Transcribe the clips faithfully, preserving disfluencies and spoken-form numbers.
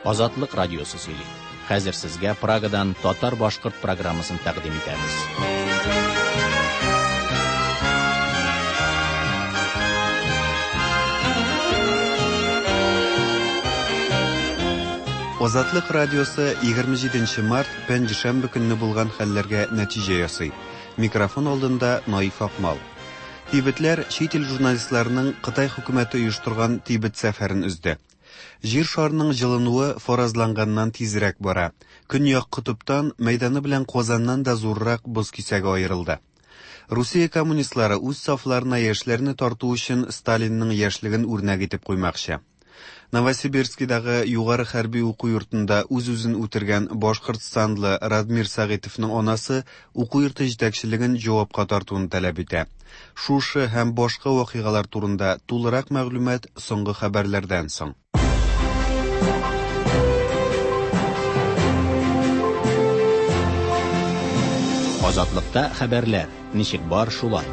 Азатлык радиосы сөйли. Хәзер сезгә Прагадан татар-башкорт программасын тәкъдим итәбез. Азатлык радиосы егерме җиденче март пәнҗешәмбе көнне булган хәлләргә нәтиҗә ясый. Микрофон алдында Наиф Акмал. Тибетләр чит ил журналистларының Кытай хөкүмәте оештырган Тибет сәфәрен өзде. Җир шарының җылынуы фаразланганнан тизрәк бара. Көньяк котыптан мәйданы белән Казаннан да зуррак боз кисәге аерылды. Русия коммунистлары үз сафларына яшьләрне тарту өчен Сталинның яшьлеген үрнәк итеп куймакчы. Новосибирскидагы югары хәрби уку йортында үз-үзен үтергән Башкортстанлы Радмир Сәгыйтовның анасы уку йорты җитәкчелеген җавапка тартуын таләп итә. Шушы һәм башка вакыйгалар турында тулырак мәгълүмат соңгы хәбәрләрдән соң. Азатлыкта хәбәрләр ничек бар шулай.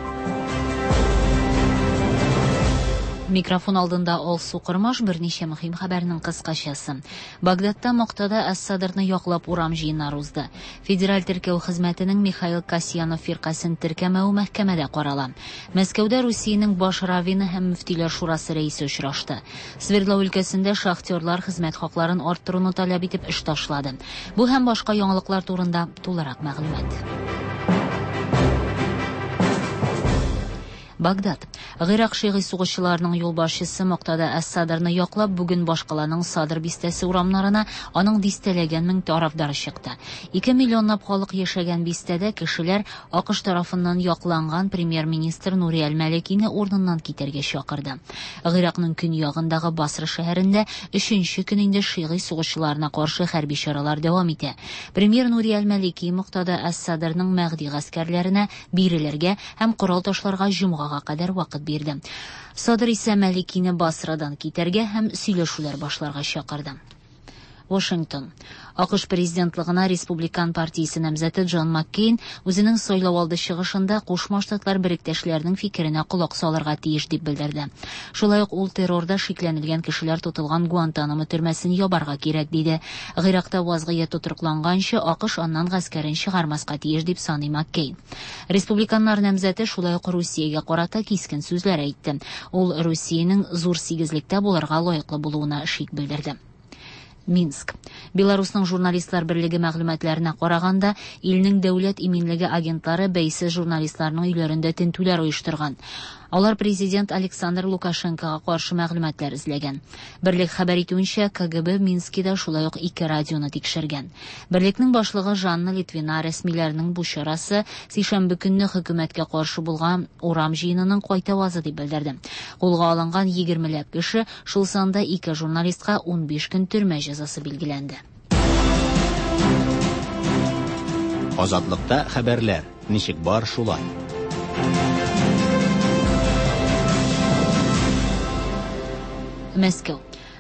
Микрофон алдында Алсу Кормаш, берничә мөһим хәбәрнең кыскачасы. Багдадта Муктада әс-Садрны яклап урам җыеннары узды. Федераль теркәү хезмәтенең Михаил Касьянов фиркасен теркәмәве мәхкәмәдә карала. Мәскәүдә Русиянең баш раввины һәм мөфтиләр шурасы рәисе очрашты. Свердлов өлкәсендә шахтерлар хезмәт хакларын арттыруны таләп итеп эш ташлады. Бу һәм башка яңалыклар турында тулырак мәгълүмат. Багдад. Гыйрак шигый сугышчыларының юлбашчысы Муктада әс-Садрны яклап бүген башкаланың Садр бистәсе урамнарына аның дистәләгән мең тарафдары чыкты. Ике миллионлап халык яшәгән бистәдә кешеләр АКШ тарафыннан якланган премьер-министр Нури әл-Маликины урыныннан китәргә чакырды. Гыйракның көньягындагы Басра шәһәрендә өченче көн инде шигый сугышчыларына каршы хәрби чаралар дәвам итә. Премьер Нури әл-Малики Муктада әс-Садрның Мәһди гаскәрләренә бирелергә һәм корал ташларга җомгага кадәр вакыт бирде. Садр исә Маликины Басрадан китәргә һәм сөйләшүләр башларга чакырды. Вашингтон. АКШ президентлыгына Республикан партиясе намзәте Джон Маккейн үзенең сайлау алды чыгышында Кушма Штатлар беректәшләренең фикеренә колак салырга тиеш дип белдерде. Шулай ук ул террорда шикләнелгән кешеләр тотылган Гуантанамо төрмәсен ябарга кирәк диде. Гыйракта вазгыять тотрыкланганчы АКШ аннан гаскәрен чыгармаска тиеш дип саный Маккейн. Республиканнар намзәте шулай ук Русиягә карата кискен сүзләр әйтте. Ул Русиянең зур сигезлектә булырга лаеклы булуына шик белдерде. Минск. Беларусның журналистлар берлеге мәгълүматларына караганда, илнең дәүләт иминлеге агентлары бәйсез журналистларның өйләрендә тентүләр оештырган. Алар президент Александр Лукашенкога каршы мәгълүматлар эзләгән. Берлек хәбәр итүенчә, КГБ Минскида шулай ук ике радионы тикшергән. Берлекнең башлыгы Жанна Литвина рәсмиләрнең бу чарасы сишәмбе көнне хөкүмәткә каршы булган урам җыенының кайтавазы дип белдерде. Кулга алынган егермеләп кеше, шул санда ике журналистка унбиш көн төрмә җәзасы билгеләнде. Азатлыкта хәбәрләр ничек бар шулай. Мәскәү.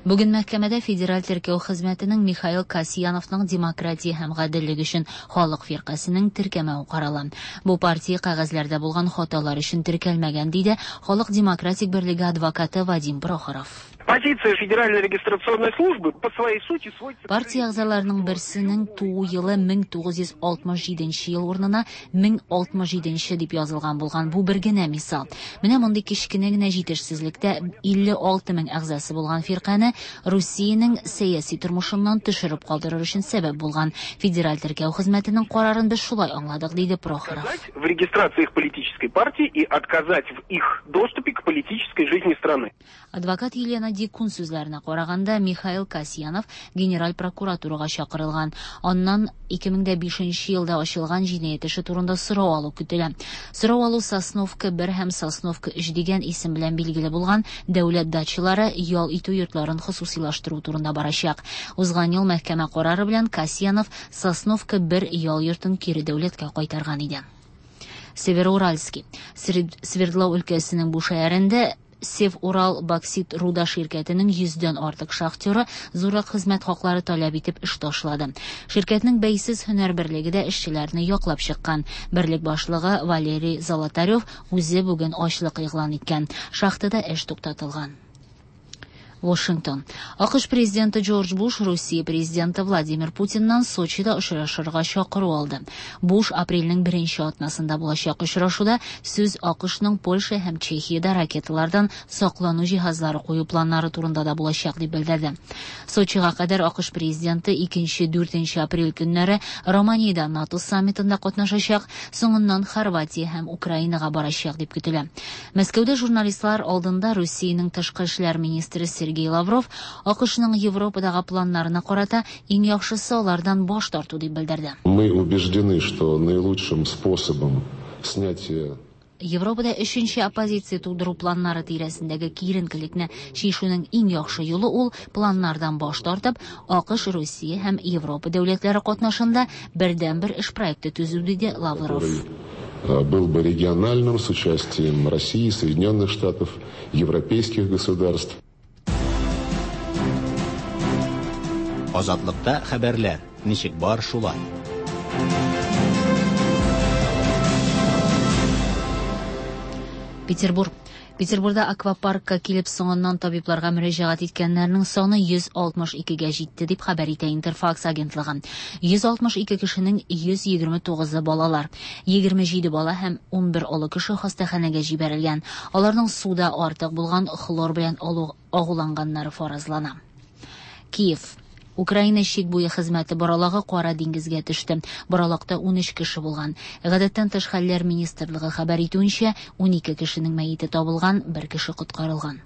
Бүген мәхкәмәдә Федераль теркәү хезмәтенең Михаил Касьяновның демократия һәм гаделлек өчен халык фиркасының теркәмәве карала. Бу партия кәгазьләрдә булган хаталар өчен теркәлмәгән, диде Халык демократик берлеге адвокаты Вадим Прохоров. Позиция Федеральной регистрационной службы по своей сути сводится к Партия әгъзаларының берсенең туу елы мең тугыз йөз алтмыш җиденче ел урынына мең алтмыш җиденче дип язылган булган. Бу бер генә мисал. Менә мондый кечкенә генә җитешсезлектә илле алты мең әгъзасы булган фиркане Русиянең сәяси тормышыннан төшереп калдырыр өчен сәбәп булган Федераль теркәү хезмәтенең карарын без шулай аңладык, диде Прохоров. Отказать в регистрации их политической партии и отказать в их доступе к политической жизни страны. Адвокат Елена Дикун сүзләренә караганда, Михаил Касьянов генераль прокуратурага чакырылган. Аннан ике мең дә бишенче елда ачылган җинаять эше турында сорау алу көтелә. Сорау алу Сосновка бер һәм Сосновка өч дигән исем белән билгеле булган дәүләт дачалары ял итү йортларын хосусилаштыру турында барачак. Узган ел мәхкәмә карары белән Касьянов Сосновка бер ял йортын кире дәүләткә кайтарган иде. Североуральский. Свердлов өлкәсенең бу шәһәрендә Сев-Урал боксит руда ширкәтенең йөздән артык шахтеры зуррак хезмәт хаклары таләп итеп эш ташлады. Ширкәтнең бәйсез һөнәр берлеге дә эшчеләрне яклап чыккан. Берлек башлыгы Валерий Золотарев үзе бүген ачлык игълан иткән. Шахтада эш туктатылган. Вашингтон. АКШ президенты Джордж Буш Русия президенты Владимир Путиннан Сочида очрашырга чакыру алды. Буш апрельнең беренче атнасында булачак очрашуда сүз АКШның Польша һәм Чехиядә ракеталардан саклану җиһазлары кую планнары турында да булачак дип белдерде. Сочига кадәр АКШ президенты икенче-дүртенче апрель көннәре Романиядә НАТО саммитында катнашачак, соңыннан Хорватия һәм Украинага барачак дип көтелә. Мәскәүдә журналистлар алдында Русиянең тышкы эшләр министры Сергей Лавров АКШның Европадагы планнарына карата иң яхшысы алардан баш тарту дип белдерде. Мы убеждены, что наилучшим способом снятия Европада өченче оппозиция тудыру планнары тирәсендәге киеренкелекне чишүнең иң яхшы юлы ул планнардан баш тартып, АКШ, Русия һәм Европа дәүләтләре катнашында бердәнбер эш проекты төзү, диде Лавров. Был бы региональным с участием России, Соединенных Штатов, европейских государств. Азатлыкта хәбәрләр ничек бар шулай. Петербург. Петербургда аквапаркка килеп соңыннан табибларга мөрәҗәгать иткәннәрнең саны йөз алтмыш икегә җитте дип хәбәр итә Интерфакс агентлыгы. йөз алтмыш ике кешенең йөз егерме тугызы балалар. егерме җиде бала һәм унбер олы кеше хастаханәгә җибәрелгән. Аларның суда артык булган хлор белән агуланганнары фаразлана. Киев. Украина чик буе хезмәте баралагы Кара диңгезгә төште. Баралакта ун өч кеше булган. Гадәттән тыш хәлләр министрлыгы хәбәр итүенчә, ун ике кешенең мәете табылган, бер кеше коткарылган.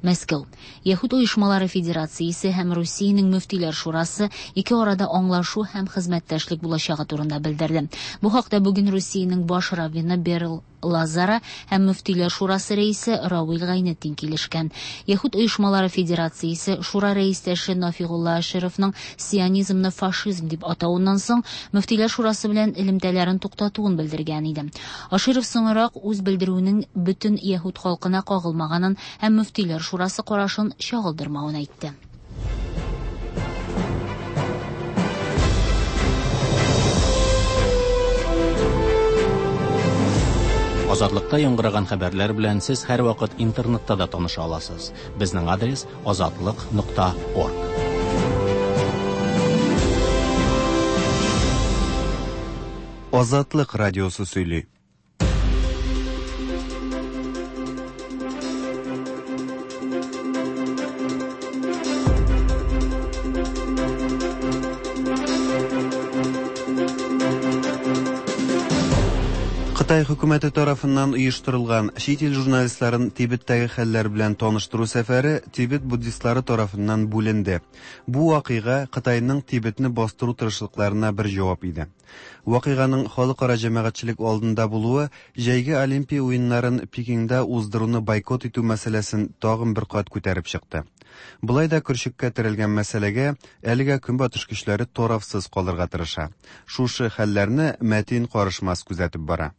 Мәскәү. Яһүд оешмалары федерациясе һәм Русиянең мөфтиләр шурасы ике арада аңлашу һәм хезмәттәшлек булачагы турында белдерде. Бу хакта бүген Русиянең баш раввины Берл Лазара һәм мөфтиләр шурасы рәисе Равил Гайнетдин килешкән. Яһүд оешмалары федерациясе шура рәистәше Нафигулла Ашировның сионизмны фашизм дип атавыннан соң мөфтиләр шурасы белән элемтәләрен туктатуын белдергән иде. Аширов соңрак үз белдерүенең бөтен яһүд халкына кагылмаганын һәм мөфтиләр шурасы карашын чагылдырмавын әйтте. Азатлыкта яңгыраган хәбәрләр белән сез һәрвакыт интернетта да таныша аласыз. Безнең адрес азатлык нокта орг. Азатлык радиосы сөйли. Кытай хөкүмәте тарафыннан оештырылган чит ил журналистларын Тибеттәге хәлләр белән таныштыру сәфәре Тибет буддистлары тарафыннан бүленде. Бу вакыйга Кытайның Тибетне бастыру тырышлыкларына бер җавап иде. Вакыйганың халыкара җәмәгатьчелек алдында булуы җәйге Олимпия уеннарын Пекинда уздыруны бойкот итү мәсьәләсен тагын бер кат күтәреп чыкты. Болай да көршеккә терелгән мәсьәләгә әлегә көнбатыш көчләре тарафсыз калырга тырыша. Шушы хәлләрне Мәтин Карышмас күзәтеп бара.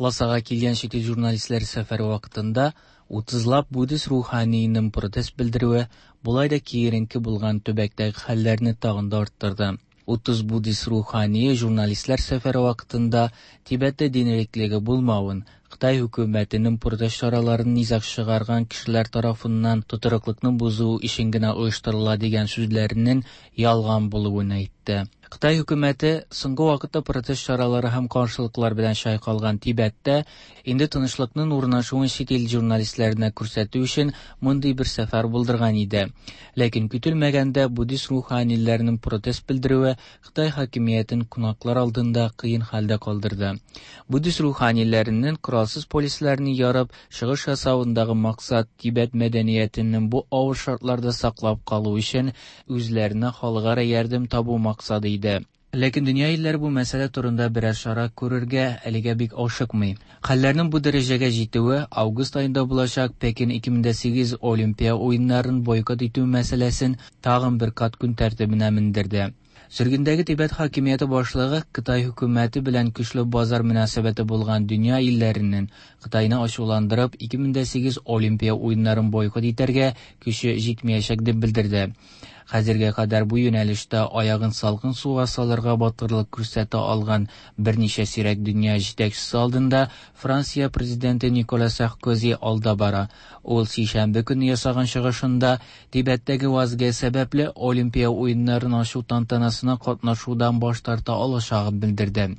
Ласаға килгән чит ил журналистлар сәфәре вакытында утызлап буддист руханийның протест белдерүе болай да киеренке булган төбәктәге хәлләрне тагын да арттырды. Утыз буддист рухание журналистлар сәфәре вакытында Тибеттә дин иреклеге булмавын, Кытай хөкүмәтенең протест чараларын низаг чыгарган кешеләр тарафыннан тотрыклыкны бозу өчен генә оештырыла дигән сүзләренең ялган булуын әйтте. Кытай хөкүмәте соңгы вакытта протест чаралары һәм каршылыклар белән чайкалган Тибеттә инде тынычлыкның урнашуын чит ил журналистларына күрсәтү өчен мондый бер сәфәр булдырган иде. Ләкин көтелмәгәндә буддист руханиләренең протест белдерүе Кытай хакимиятен кунаклар алдында кыен хәлдә калдырды. Буддист руханиләренең коралсыз полисләрне ярып чыгыш ясавындагы максат Тибет мәдәниятенең бу авыр шартларда саклап калу өчен үзләренә халыкара ярдәм табу максаты иде. Ләкин дөнья илләре бу мәсьәлә турында берәр чара күрергә әлегә бик ашыкмый. Хәлләрнең бу дәрәҗәгә җитүе август аенда булачак Пекин ике мең дә сигез Олимпия уеннарын бойкот итү мәсьәләсен тагын бер кат көн тәртибенә мендерде. Сөргендәге Тибет хакимияте башлыгы Кытай хөкүмәте белән көчле базар мөнәсәбәте булган дөнья илләренең Кытайны ачуландырып ике мең дә сигез Олимпия уеннарын бойкот итәргә көче җитмәячәк дип белдерде. Хәзергә кадәр бу юнәлештә аягын салкын суга салырга батырлык күрсәтә алган берничә сирәк дөнья җитәкчесе алдында Франция президенты Никола Саркози алда бара. Ул сишәмбе көне ясаган чыгышында Тибеттәге вазгыять сәбәпле Олимпия уеннарын ачу тантанасына катнашудан баш тарта алачагын белдерде.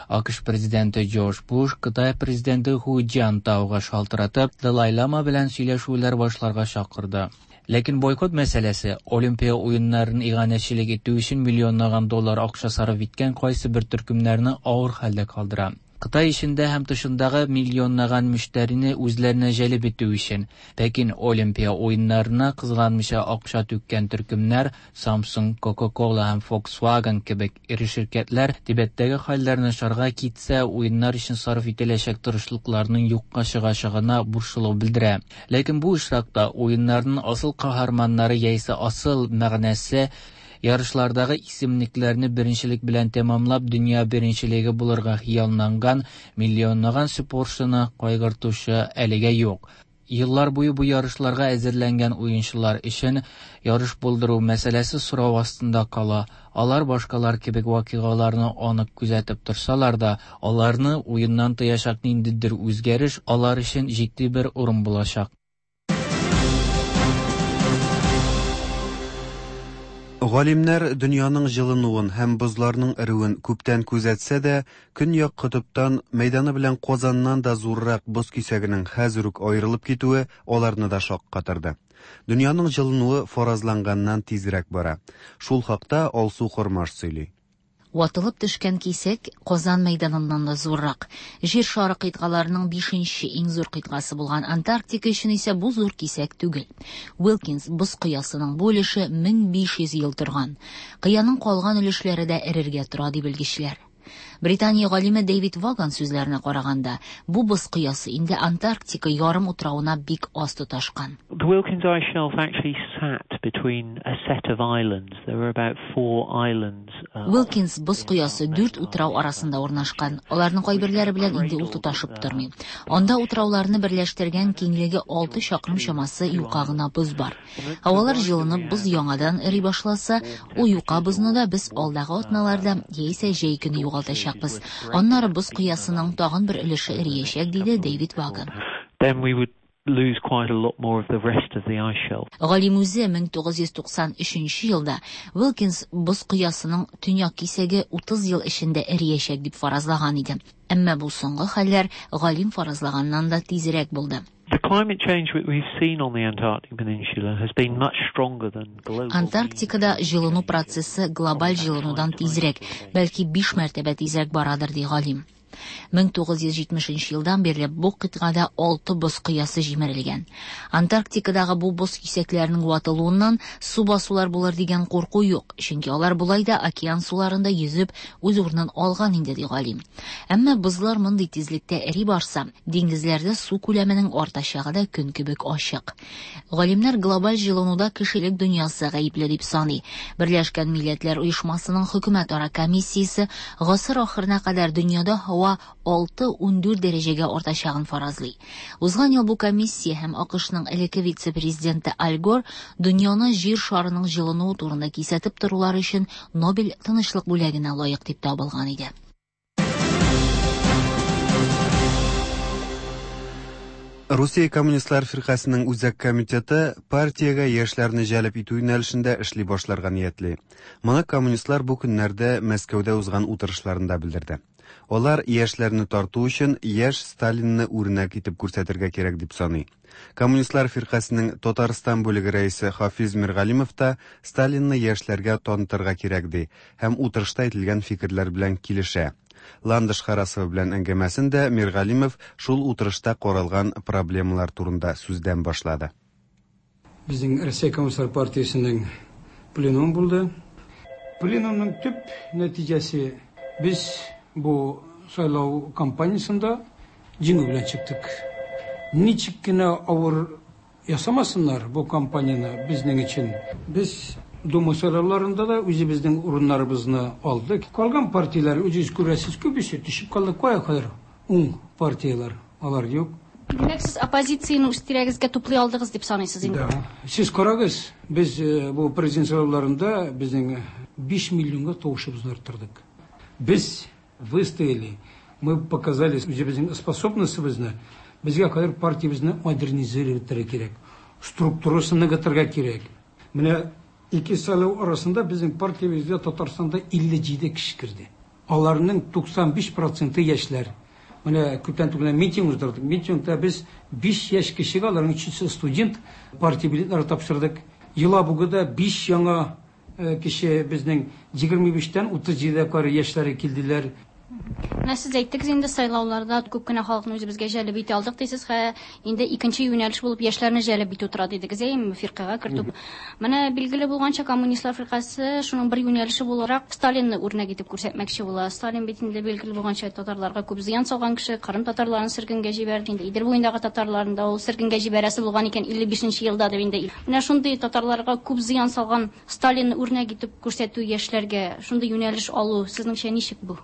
АКШ президенты Джордж Буш Кытай президенты Ху Цзиньтаога шалтыратып, Далай-лама белән сөйләшүләр башларга чакырды. Ләкин бойкот мәсьәләсе Олимпия уеннарын иганәчелек итү өчен миллионлаган доллар акча сарыф иткән кайсы бер төркемнәрне авыр хәлдә калдыра. Кытай эчендә һәм тышындагы миллионлаган мөштәрине үзләренә җәлеп итү өчен Пекин Олимпия уеннарына кызганмыйча акча түккән төркемнәр Samsung, Coca-Cola һәм Volkswagen кебек эре ширкәтләр Тибеттәге хәлләр начарга китсә, уеннар өчен сарыф ителәчәк тырышлыкларның юкка чыгачагына борчылу белдерә. Ләкин бу очракта уеннарның асыл каһарманнары яисә асыл мәгънәсе ярышлардагы исемлекләрне беренчелек белән тәмамлап дөнья беренчелеге булырга хыялланган миллионлаган спортчыны кайгыртучы әлегә юк. Еллар буе бу ярышларга әзерләнгән уенчылар өчен ярыш булдыру мәсьәләсе сорау астында кала. Алар башкалар кебек вакыйгаларны анык күзәтеп торсалар да, аларны уеннан тыячак ниндидер үзгәреш алар өчен җитди бер урын булачак. Галимнәр дөньяның җылынуын һәм бозларның эреүен күптән күзәтсә дә, көньяк котыптан мәйданы белән Казаннан да зуррак боз кисәгенең хәзер үк аерылып китүе аларны да шаккатырды. Дөньяның җылынуы фаразланганнан тизрәк бара. Шул хакта Алсу Хормаш сөйли. Ватылып төшкән кисәк Казан мәйданыннан да зуррак. Җир шары кыйтгаларының бишенче иң зур кыйтгасы булган Антарктика өчен исә бу зур кисәк түгел. Уилкинс боз кыясының бу өлеше мең биш йөз ел торган. Кыяның калган өлешләре дә эрергә тора, ди белгечләр. Британия галиме Дэвид Ваган сүзләренә караганда, бу боз кыясы инде Антарктика ярым утравына бик аз тоташкан. The Wilkins Ice Shelf actually sat between a set of islands. There were about four islands. Wilkins боз кыясы дүрт утрау арасында урнашкан. Аларның кайберләре белән инде ул тоташып тормый. Анда утрауларны берләштергән киңлеге алты чакрым чамасы юка гына боз бар. Һавалар җылынып, боз яңадан эри башласа, ул юка бозны да без алдагы атналарда яисә җәй көне югалтачакбыз. Аннары боз кыясының тагын бер өлеше эриячәк, диде Дэвид Ваган. Then we would lose quite a lot more of the rest of the ice shelf. Галим үзе мең тугыз йөз туксан өченче елда Уилкинс боз кыясының төньяк кисәге утыз ел эчендә эриячәк дип фаразлаган иде. Әмма бу соңгы хәлләр галим фаразлаганнан да тизрәк булды. The climate change that we've seen on the Antarctic Peninsula has been much stronger than global. Антарктикада җылыну процессы глобаль җылынудан тизрәк, бәлки биш мәртәбә тизрәк барадыр, ди галим. Мең тугыз йөз җитмешенче елдан бирле бу кыйтгада алты боз кыясы җимерелгән. Антарктикадагы бу боз кисәкләренең ватылуыннан су басулар булыр дигән курку юк, чөнки алар болай да океан суларында йөзеп үз урынын алган инде, ди галим. Әмма бозлар мондый тизлектә эри барса, диңгезләрдә су күләменең артачагы да көн кебек ачык. Галимнәр глобаль җылынуда кешелек дөньясы гаепле дип саный. Берләшкән Милләтләр Оешмасының хөкүмәтара комиссиясе гасыр ахырына кадәр дөньяда һава алты ун дүрт дәрәҗәгә артачагын фаразлый. Узган ел бу комиссия һәм АКШның элекке вице-президенты Аль Гор дөньяны җир шарының җылынуы турында кисәтеп торулары өчен Нобель тынычлык бүләгенә лаек дип табылган иде. Русия Коммунистлар фиркасының үзәк комитеты партиягә яшьләрне җәлеп итү юнәлешендә эшли башларга ниятли. Моны коммунистлар бу көннәрдә Мәскәүдә узган утырышларында белдерде. Алар яшьләрне тарту өчен яшь Сталинны үрнәк итеп күрсәтергә кирәк дип саный. Коммунистлар фиркасының Татарстан бүлеге рәисе Хафиз Миргалимов та Сталинны яшьләргә танытырга кирәк ди һәм утырышта әйтелгән фикерләр белән килешә. Ландыш Харасова белән әңгәмәсендә Миргалимов шул утырышта каралган проблемалар турында сүздән башлады. Безнең Россия Коммунистлар партиясенең пленумы булды. Пленумның төп нәтиҗәсе без бу сайлау кампаниясендә җиңү белән чыктык. Ничек кенә авыр ясамасыннар бу кампанияне безнең өчен. Без Дума сайлауларында да үзебезнең урыннарыбызны алдык. Калган партияләр, үзегез күрәсез, күбесе төшеп калды. Кая кадәр уң партияләр, алар юк. Димәк, сез оппозицияне үз тирәгезгә туплый алдыгыз дип саныйсыз инде? Да. Сез карагыз, без бу президент сайлауларында безнең биш миллионга тавышыбызны арттырдык. Без выстояли, мы показали үзебезнең способностебезне. Безгә хәзер партиябезне модернизировать кирәк, структурасын ныгытырга кирәк. Менә ике сайлау арасында безнең партиябезгә Татарстанда илле җиде кеше керде. Аларның туксан биш проценты яшьләр. Менә күптән түгел митинг уздырдык. Митингта без биш яшь кешегә, аларның өчесе студент, партия билетлары тапшырдык. Елабугада биш яңа кеше безнең егерме биштән утыз җидегә кадәр яшьләре килделәр. Менә сез әйттегез инде, сайлауларда күп кенә халыкны үзебезгә җәлеп итә алдык дисез, хә инде икенче юнәлеш булып яшьләрне җәлеп итү тора дидегез, әйеме, фиркагә кертү. Менә билгеле булганча, коммунистлар фиркасе шуның бер юнәлеше буларак Сталинны үрнәк итеп күрсәтмәкче була. Сталин бит инде билгеле булганча татарларга күп зыян салган кеше, Кырым татарларын сөргенгә җибәрде, инде Идел буендагы татарларын да ул сөргенгә җибәрәсе булган икән илле бишенче елда дип инде. Менә шундый татарларга күп зыян салган Сталинны үрнәк итеп күрсәтү яшьләргә, шундый юнәлеш алу, сезнеңчә ничек бу?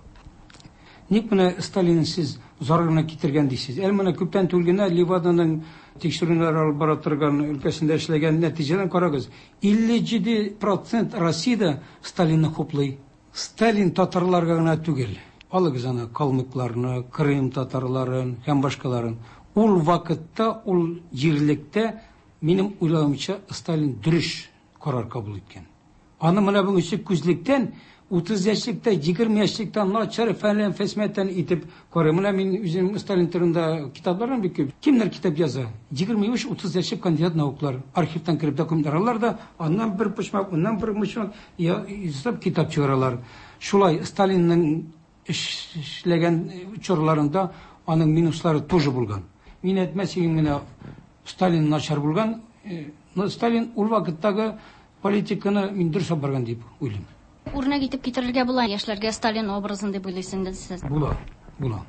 Ник менә Сталин сез зарарына китергән дисез? Әле менә күптән түгел генә Леваданың тикшерүләр алып бара торган өлкәсендә эшләгән нәтиҗәләрен карагыз. илле җиде процент Россиядә Сталинны хуплый. Сталин татарларга гына түгел. Алыгыз аны калмыкларны, Крым татарларын һәм башкаларын. Ул вакытта, ул җирлектә, минем уйлавымча, Сталин дөрес карар кабул иткән. Аны менә бүгенге күзлектән утыз яшьлектә, егерме яшьлектә начар фәлән фәсмәтән итеп карый. Менә мин үзем Сталин турында китапларым бик күп. Кемнәр китап яза? Егерме биш, утыз яшьлек кандидат наукалар. Архивтан кереп документлар алалар да, аннан бер почмак, аннан бер почмак ясап китап чыгаралар. Шулай Сталинның эшләгән чорларында аның минуслары тоже булган. Мин әйтмәс идем генә Сталин начар булган. Но Сталин ул вакыттагы политиканы мин дөрес алып барган дип уйлыйм. Үрнәк итеп китерергә була яшьләргә Сталин образын дип уйлыйсыз сез? Була, була.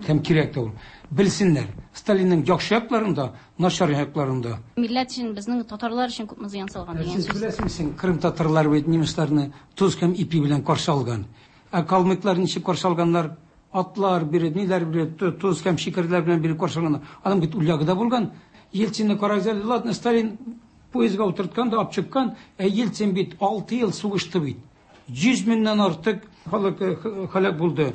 Һәм кирәк тә ул. Белсеннәр, Сталинның яхшы якларын да, начар якларын да. Милләт өчен, безнең татарлар өчен күпме зыян салган дигән Сез сүз. беләсезме, Крым татарлары бит немецларны тоз һәм ипи белән каршы алган. Ә калмыклар ничек каршы алганнар? Атлар биреп, ниләр биреп, тоз һәм шикәрләр белән биреп каршы алганнар. Аның бит ул ягы да булган. Ельцинны карагыз әле, ладно, Сталин поездга утырткан да алып чыккан, ә Ельцин бит алты ел сугышты бит. Йөз меңнән артык халык һәлак булды.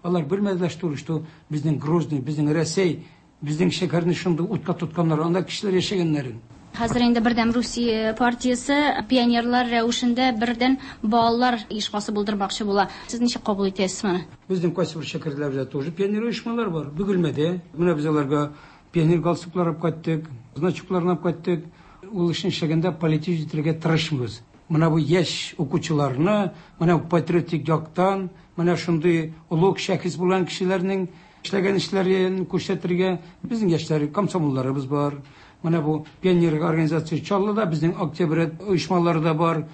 Алар белмәделәр, что, что безнең Грозный, безнең Рәсәй, безнең шәһәрне шундый утка тотканнар, анда кешеләр яшәгәннәрен. Хәзер инде Бердәм Русия партиясе пионерлар рәвешендә бердән балалар оешмасы булдырмакчы була. Сез ничек кабул итәсез моны? Безнең кайсы бер шәһәрләрдә тоже пионер оешмалар бар. Бөгелмәдә. Менә без аларга пионер галстуклар алып кайттык, значокларын алып кайттык. Ул эшне эшләгәндә политик итәргә тырышмыйбыз. Менә бу яшь укучыларны, менә бу патриотик яктан, менә шундый олуг шәхес булган кешеләрнең эшләгән эшләрен күрсәтергә безнең яшьләр, комсомолларыбыз бар. Менә бу пионер организация Чаллыда, безнең Октябрь оешмалары да бар.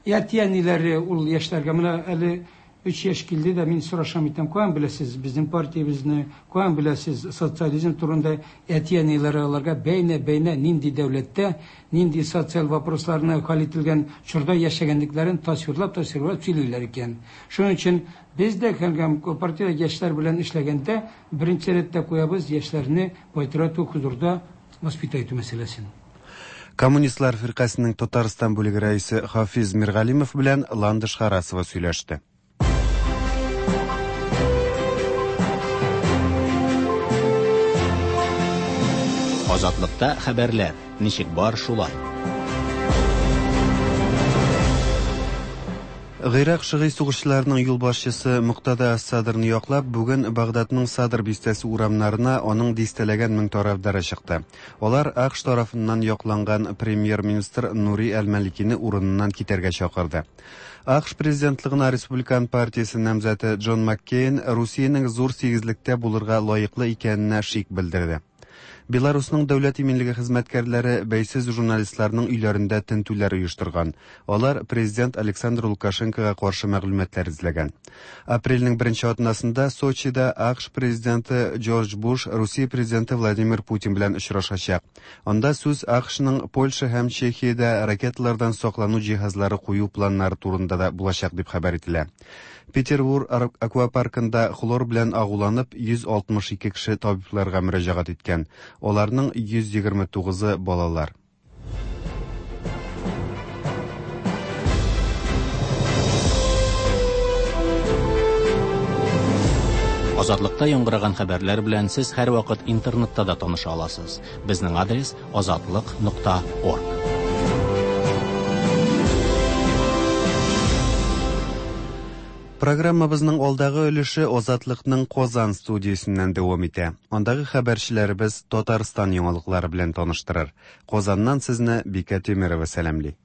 Әти-әниләре ул яшьләргә менә әле өч яшь килде дә, мин сорашам итәм, каян беләсез безнең партиябезне, каян беләсез социализм турында? Әти-әниләре аларга бәйнә-бәйнә нинди дәүләттә, нинди социаль вопросларны хәл ителгән чорда яшәгәнлекләрен тасвирлап, тасвирлап сөйлиләр икән. Шуның өчен без дә һәм партия яшьләр белән эшләгәндә беренче рәттә куябыз яшьләрне патриотик хозурда воспитать итү мәсьәләсен. Коммунистлар фиркасының Татарстан бүлеге рәисе Хафиз Миргалимов белән Ландыш Харасова сөйләште. Азатлыкта хәбәрләр ничек бар шулай. Гыйрак шигый сугышчыларының юлбашчысы Муктада ас-Садрны яклап, бүген Багдадның Садр бистәсе урамнарына аның дистәләгән мең тарафдары чыкты. Алар АКШ тарафыннан якланган премьер-министр Нури әл-Маликины урыныннан китәргә чакырды. АКШ президентлыгына Республикан партиясе намзаты Джон Маккейн Русиянең зур сигезлектә булырга лаеклы икәненә шик белдерде. Беларусның дәүләт иминлеге хезмәткәрләре бәйсез журналистларның өйләрендә тентүләр оештырган. Алар президент Александр Лукашенкога каршы мәгълүматлар эзләгән. Апрельнең беренче атнасында Сочида АКШ президенты Джордж Буш Русия президенты Владимир Путин белән очрашачак. Анда сүз АКШның Польша һәм Чехиядә ракеталардан саклану җиһазлары кую планнары турында да булачак дип хәбәр ителә. Петербург аквапаркында хлор белән агуланып йөз алтмыш ике кеше табибларга мөрәҗәгать иткән. Аларның йөз егерме тугызы балалар. Азатлыкта яңгыраган хәбәрләр белән сез һәрвакыт интернетта да таныша аласыз. Безнең адрес азатлык нокта орг. Программабызның алдагы өлеше Азатлыкның Казан студиясеннән дәвам итә. Андагы хәбәрчеләребез Татарстан яңалыклары белән таныштырыр. Казаннан сезне Бикә Тимирова сәламли.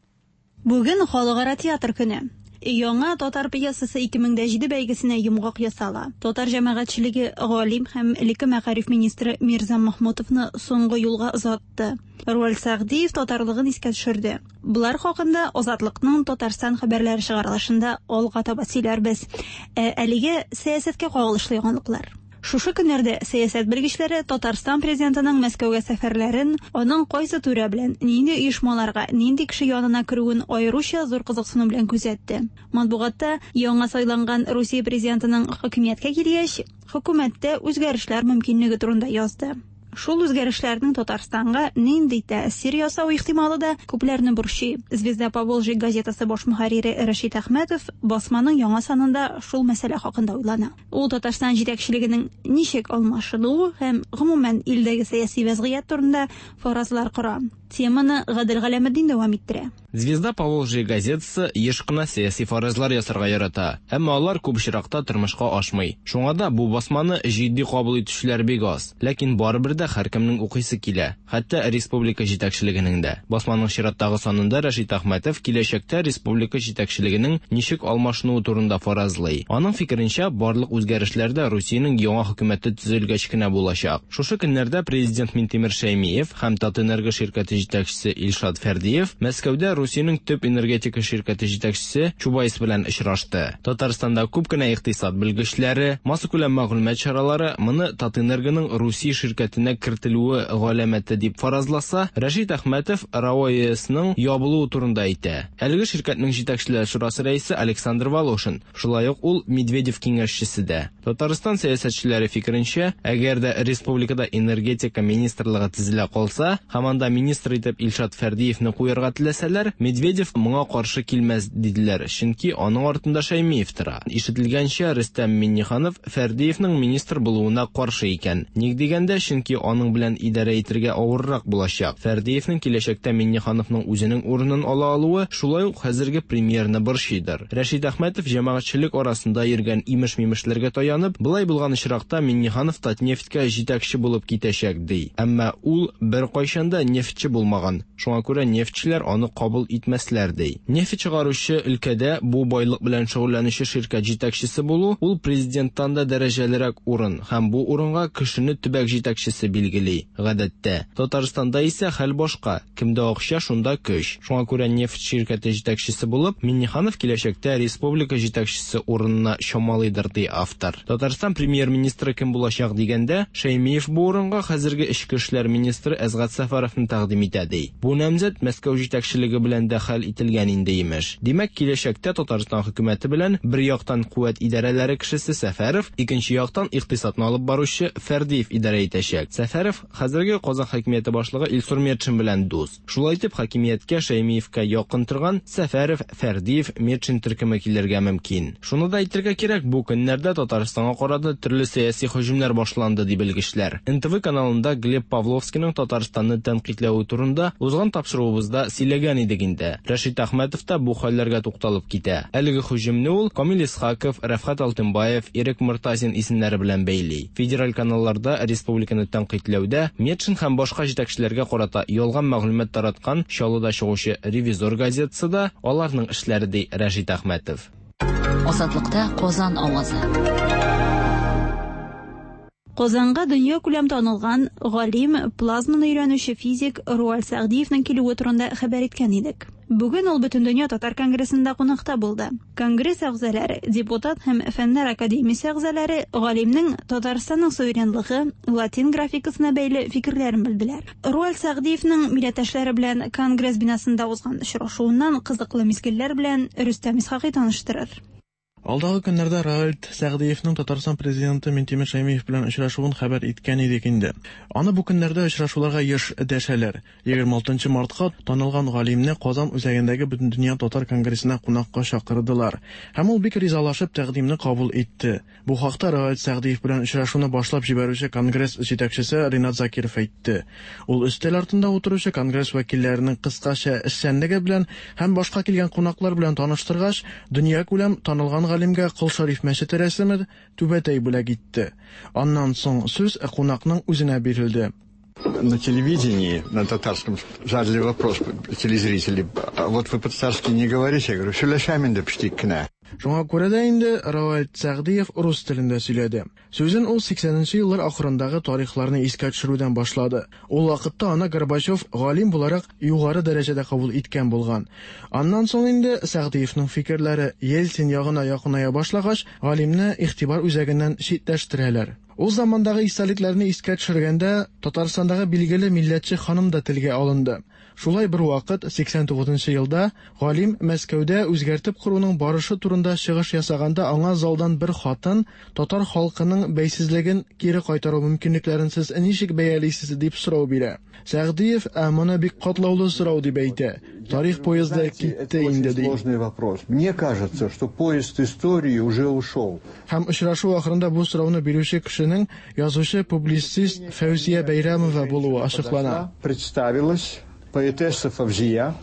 Бүген Халыкара театр көне. Яңа татар пьесасы ике мең дә җиде бәйгесенә йомгак ясала. Татар җәмәгатьчелеге галим һәм элекке мәгариф министры Мирза Махмутовны соңгы юлга озатты. Руаль Сәгъдиев татарлыгын искә төшерде. Булар хакында Азатлыкның Татарстан хәбәрләре чыгарылышында алга таба сөйләрбез. Ә әлегә сәясәткә кагылышлы яңалыклар. Шушы көннәрдә сәясәт белгечләре Татарстан президентының Мәскәүгә сәфәрләрен, аның кайсы түрә белән, нинди оешмаларга, нинди кеше янына керүен аеруча зур кызыксыну белән күзәтте. Матбугатта яңа сайланган Русия президентының хакимияткә килгәч, хөкүмәттә үзгәрешләр мөмкинлеге турында язды. Шул үзгәрешләрнең Татарстанга нинди тәэсир ясау ихтималы да күпләрне борчый. Звезда Поволжья газетасы баш мөхәррире Рәшит Әхмәтов басманың яңа санында шул мәсьәлә хакында уйлана. Ул Татарстан җитәкчелегенең ничек алмашынуы һәм гомумән илдәге сәяси вәзгыять турында фаразлар кора. Теманы Гадел Галәметдин дәвам иттерә. Звезда Поволжья газетасы еш кына сәяси фаразлар ясарга ярата, әмма алар күп очракта тормышка ашмый. Шуңа да бу басманы җитди кабул итүчеләр бик аз. Ләкин барыбер дә һәркемнең укыйсы килә, хәтта республика җитәкчелегенең дә. Басманың чираттагы санында Рәшит Әхмәтов киләчәктә республика җитәкчелегенең ничек алмашынуы турында фаразлый. Аның фикеренчә, барлык үзгәрешләр дә Русиянең яңа хөкүмәте төзелгәч кенә булачак. Шушы көннәрдә президент Минтимер Шәймиев һәм Татэнерго ширкәте җитәкчесе Илшат Фәрдиев Мәскәүдә Русиянең төп энергетика ширкәте җитәкчесе Чубайс белән очрашты. Татарстанда күп кенә икътисад белгечләре, массакүләм мәгълүмат чаралары моны Татэнергоның Русия ширкәтенә кертелүе галәмәте дип фаразласа, Рәшит Әхмәтов РАОЭСның ябылуы турында әйтә. Әлеге ширкәтнең җитәкчеләр шурасы рәисе Александр Волошин, шулай ук ул Медведев киңәшчесе дә. Татарстан сәясәтчеләре фикеренчә, әгәр дә республикада энергетика министрлыгы төзелә калса, һәм анда министр итеп Илшат Фәрдиевне куярга теләсәләр, Медведев моңа каршы килмәс диделәр, чөнки аның артында Шәймиев тора. Ишетелгәнчә, Рөстәм Миңнеханов Фәрдиевнең министр булуына каршы икән. Ник дигәндә, чөнки аның белән идарә итәргә авыррак булачак. Фәрдиевнең киләчәктә Миңнехановның үзенең урынын ала алуы шулай ук хәзерге премьерны борчыйдыр. Рәшит Әхмәтов җәмәгатьчелек арасында йөргән имеш-мимешләргә таянып, былай булган очракта Миңнеханов Татнефтькә җитәкче булып китәчәк ди. Әмма ул беркайчан да нефтьче булмаган. Шуңа күрә нефтьчеләр аны кабул итмәсләр ди. Нефть чыгаручы өлкәдә бу байлык белән шөгыльләнүче ширкәт җитәкчесе булу ул президенттан да дәрәҗәлерәк урын һәм бу урынга кешене төбәк җитәкчесе билгели. Гадәттә, Татарстанда исә хәл башка. Кемдә акча, шунда көч. Шуңа күрә нефть ширкәте җитәкчесе булып, Миңнеханов киләчәктә республика җитәкчесе урынына чамалыйдыр ди автор. Татарстан премьер-министры кем булачак дигәндә, Шәймиев бу урынга хәзерге эчке эшләр министры Әсгать Сәфәровны тәкъдим итә ди. Бу намзәт Мәскәү җитәкчелеге белән дә хәл ителгән инде имеш. Димәк, киләчәктә Татарстан хөкүмәте белән бер яктан куәт идарәләре кешесе Сәфәров, икенче яктан икътисадны алып баручы Фәрдиев идарә итәчәк. Сәфәров хәзерге Казан хакимияте башлыгы Илсур Метшин белән дус. Шулай итеп, хакимияткә Шәймиевкә якын торган Сәфәров, Фәрдиев, Метшин төркеме килергә мөмкин. Шуны да әйтергә кирәк, бу көннәрдә Татарстанга карата төрле сәяси һөҗүмнәр башланды ди белгечләр. Н Т В каналында Глеб Павловскийның Татарстанны тәнкыйтьләве турында узган тапшыруыбызда сөйләгән идек инде. Рәшит Әхмәтов та бу хәлләргә тукталып китә. Әлеге һөҗүмне ул Камил Исхаков, Рәфхат Алтынбаев, Ирек Мортазин исемнәре белән бәйли. Федераль каналларда республиканы тәнкыйтьләүдә Метшин һәм башка җитәкчеләргә карата ялган мәгълүмат тараткан Чаллыда чыгучы Ревизор газетасы да аларның эшләре ди Рәшит Әхмәтов. Азатлыкта Казан авазы. Казанга дөнья күләм танылган галим, плазманы өйрәнүче физик Руаль Сәгъдиевнең килүе турында хәбәр иткән идек. Бүген ул Бөтендөнья татар конгрессында кунакта булды. Конгресс әгъзалары, депутат һәм Фәннәр академиясе әгъзалары галимнең Татарстанның суверенлыгы, латин графикасына бәйле фикерләрен белделәр. Руаль Сәгъдиевнең милләттәшләре белән конгресс бинасында узган очрашуыннан кызыклы мизгелләр белән Рөстәм Исхакый таныштырыр. Алдагы көннәрдә Равиль Сәгъдиевның Татарстан президенты Минтимер Шәймиев белән очрашуын хәбәр иткән идек инде. Аны бу көннәрдә очрашуларга еш дәшәләр. егерме алтынчы мартка танылган галимне Казан үзәгендәге Бөтендөнья татар конгрессына кунакка чакырдылар. Һәм ул бик ризалашып тәкъдимне кабул итте. Бу хакта Равиль Сәгъдиев белән очрашуны башлап җибәрүче конгресс җитәкчесе Ринат Закиров әйтте. Ул өстәл артында утыручы конгресс вәкилләренең кыскача эшчәнлеге белән һәм башка килгән кунаклар белән таныштыргач, дөньякүләм танылган галимгә Кол Шәриф мәчете рәсеме түбәтәй бүләк итте. Аннан соң сүз кунакның үзенә бирелде. На телевидении, на татарском, задали вопрос телезрители: а вот вы по-татарски не говорите? Я говорю, сөйләшәм инде печтик кенә. Шуңа күрә дә инде Равиль Сәгъдиев рус телендә сөйләде. Сүзен ул сиксәненче еллар ахырындагы тарихларны искә төшерүдән башлады. Ул вакытта аны Горбачев галим буларак югары дәрәҗәдә кабул иткән булган. Аннан соң инде Сәгъдиевның фикерләре Ельцин ягына якыная башлагач, галимне игътибар үзәгеннән читләштерәләр. Ул замандагы истәлекләрне искә төшергәндә Татарстандагы билгеле милләтче ханым да телгә алынды. Шулай бер вакыт сиксән тугызынчы елда галим Мәскәүдә үзгәртеп коруның барышы турында чыгыш ясаганда аңа залдан бер хатын татар халкының бәйсезлеген кире кайтару мөмкинлекләрен сез ничек бәялисез дип сорау бирә. Сәгъдиев, ә моны бик катлаулы сорау дип әйтә. Тарих поезды китте инде ди. Сложный вопрос. Мне кажется, что поезд истории уже ушел. Һәм очрашу ахырында бу сорауны бирүче кешенең язучы публицист Фәүзия Бәйрәмова булуы ачыклана. Представилась поэтесса Фавзия.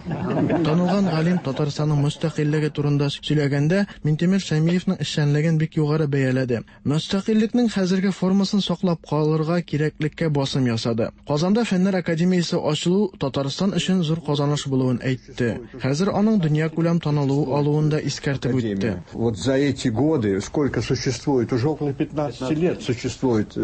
Танылган галим Татарстанның мөстәкыйльлеге турында сөйләгәндә Минтимер Шәймиевның эшчәнлеген бик югары бәяләде. Мөстәкыйльлекнең хәзерге формасын саклап калырга кирәклеккә басым ясады. Казанда Фәннәр академиясе ачылу Татарстан өчен зур казаныш булуын әйтте. Хәзер аның дөньякүләм танылу алуын да искәртеп үтте. Вот за эти годы, сколько существует, уже около пятнадцати лет существует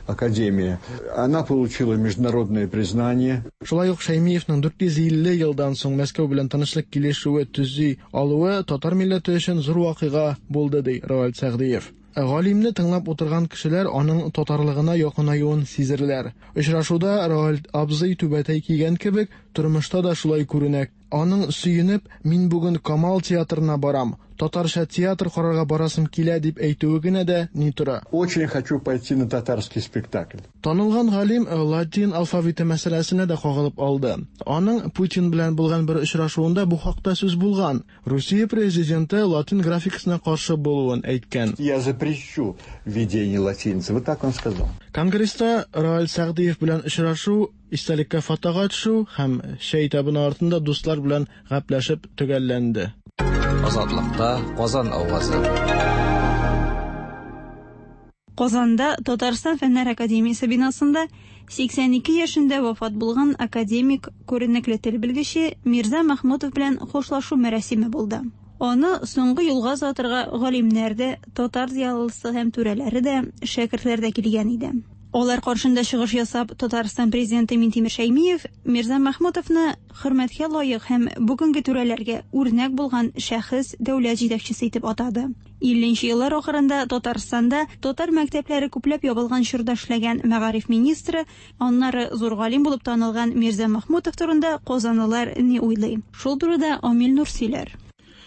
академия. Она получила международное признание. Шулай ук Шәймиевның дүрт йөз илле елдан соң Мәскәү белән тынычлык килешүе төзи алуы татар милләте өчен зур вакыйга булды, ди Равиль Сәгъдиев. Галимне тыңлап утырган кешеләр аның татарлыгына якынаюын сизерләр. Очрашуда Равиль абзый түбәтәй кигән кебек, тормышта да шулай күренә. Аның сөенеп, мин бүген Камал театрына барам, татарча театр карарга барасым килә дип әйтүе генә дә ни тора. Очень хочу пойти на татарский спектакль. Танылган галим латин алфавиты мәсьәләсенә дә кагылып алды. Аның Путин белән булган бер очрашуында бу хакта сүз булган. Русия президенты латин графикасына каршы булуын әйткән. Я запрещу введение латиницы. Вот так он сказал. Конгресста Равиль Сәгъдиев белән очрашу, истәлеккә фотога төшү һәм чәй табыны артында дуслар белән гәпләшеп төгәлләнде. Азатлыкта Казан авазы. Казанда Татарстан Фәннәр академиясе бинасында сиксән ике яшендә вафат булган академик, күренекле тел белгече Мирза Махмутов белән хушлашу мәрасиме булды. Аны соңгы юлга озатырга галимнәр дә, татар зыялысы һәм түрәләре дә, шәкертләр дә килгән иде. Алар каршында чыгыш ясап, Татарстан президенты Минтимер Шәймиев Мирза Махмутовны хөрмәткә лаек һәм бүгенге түрәләргә үрнәк булган шәхес, дәүләт җитәкчесе итеп атады. Илленче еллар ахырында Татарстанда татар мәктәпләре күпләп ябылган чорда эшләгән мәгариф министры, аннары зур галим булып танылган Мирза Махмутов турында казанлылар ни уйлый? Шул турыда Амил Нур сөйләр.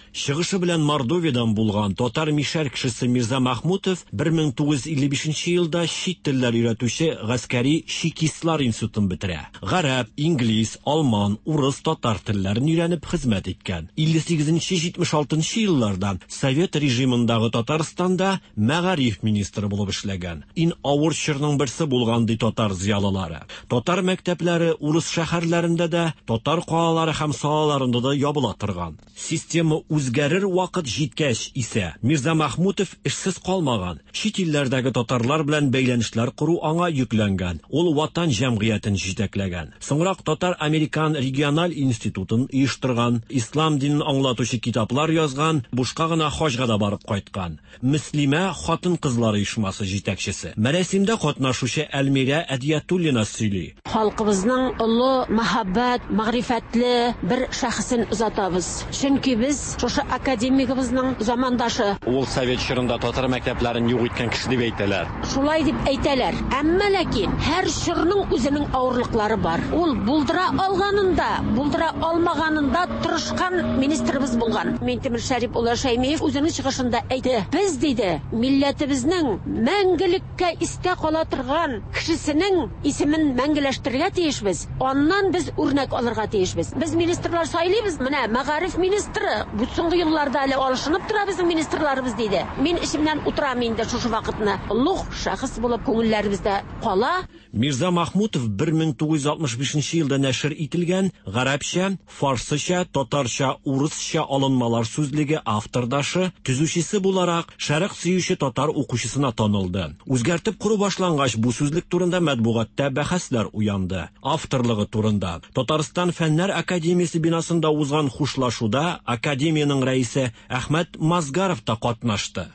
Чыгышы белән Мордовиядан булган татар мишәр кешесе Мирза Махмутов бер мең тугыз йөз илле бишенче елда чит телләр өйрәтүче гаскәри чекистлар институтын бетерә. Гарәп, инглиз, алман, урыс, татар телләрен өйрәнеп хезмәт иткән. Илле сигезенче җитмеш алтынчы елларда Совет режимындагы Татарстанда мәгариф министры булып эшләгән. Иң авыр чорның берсе булган ди татар зыялылары. Татар мәктәпләре урыс шәһәрләрендә дә, татар калалары һәм салаларында да ябыла торган. Система үзгәрер вакыт җиткәч исә Мирза Махмутов эшсез калмаган. Чит илләрдәге татарлар белән бәйләнешләр кору аңа йөкләнгән. Ул Ватан җәмгыятен җитәкләгән. Соңрак Татар-Американ региональ институтын оештырган, ислам динен аңлатучы китаплар язган, бушка гына хаҗга да барып кайткан. Мөслимә хатын-кызлар оешмасы җитәкчесе. Мәрәсимдә катнашучы Әлмирә Әдиятуллина сөйли. Халкыбызның олы мәхәббәт, мәгърифәтле бер шәхесен озатабыз. Чөнки без Шушы академигыбызның замандашы. Ул совет чорында татар мәктәпләрен юк иткән кеше дип әйтәләр. Шулай дип әйтәләр. Әмма ләкин һәр чорның үзенең авырлыклары бар. Ул булдыра алганында, булдыра алмаганында тырышкан министрыбыз булган. Минтимер Шәрип улы Шәймиев үзенең чыгышында әйтте. Без, диде, милләтебезнең мәңгелеккә истә кала торган кешесенең исемен мәңгеләштерергә тиешбез. Аннан без үрнәк алырга тиешбез. Без министрлар сайлыйбыз. Менә мәгариф министры бу соңгы елларда әле алышынып тора безнең министрларыбыз, диде. Мин эшемнән утырам инде шушы вакытны. Олуг шәхес булып күңелләребездә кала. Мирза Махмутов бер мең тугыз йөз алтмыш бишенче елда нәшер ителгән гарәпчә, фарсыча, татарча, урысча алынмалар сүзлеге автордашы, төзүчесе буларак шәрык сөюче татар укучысына танылды. Үзгәртеп кору башлангач бу сүзлек турында матбугатта бәхәсләр уянды. Авторлыгы турында Татарстан Фәннәр академиясе бинасында узган хушлашуда академиянең рәисе Әхмәт Мазгаров та катнашты.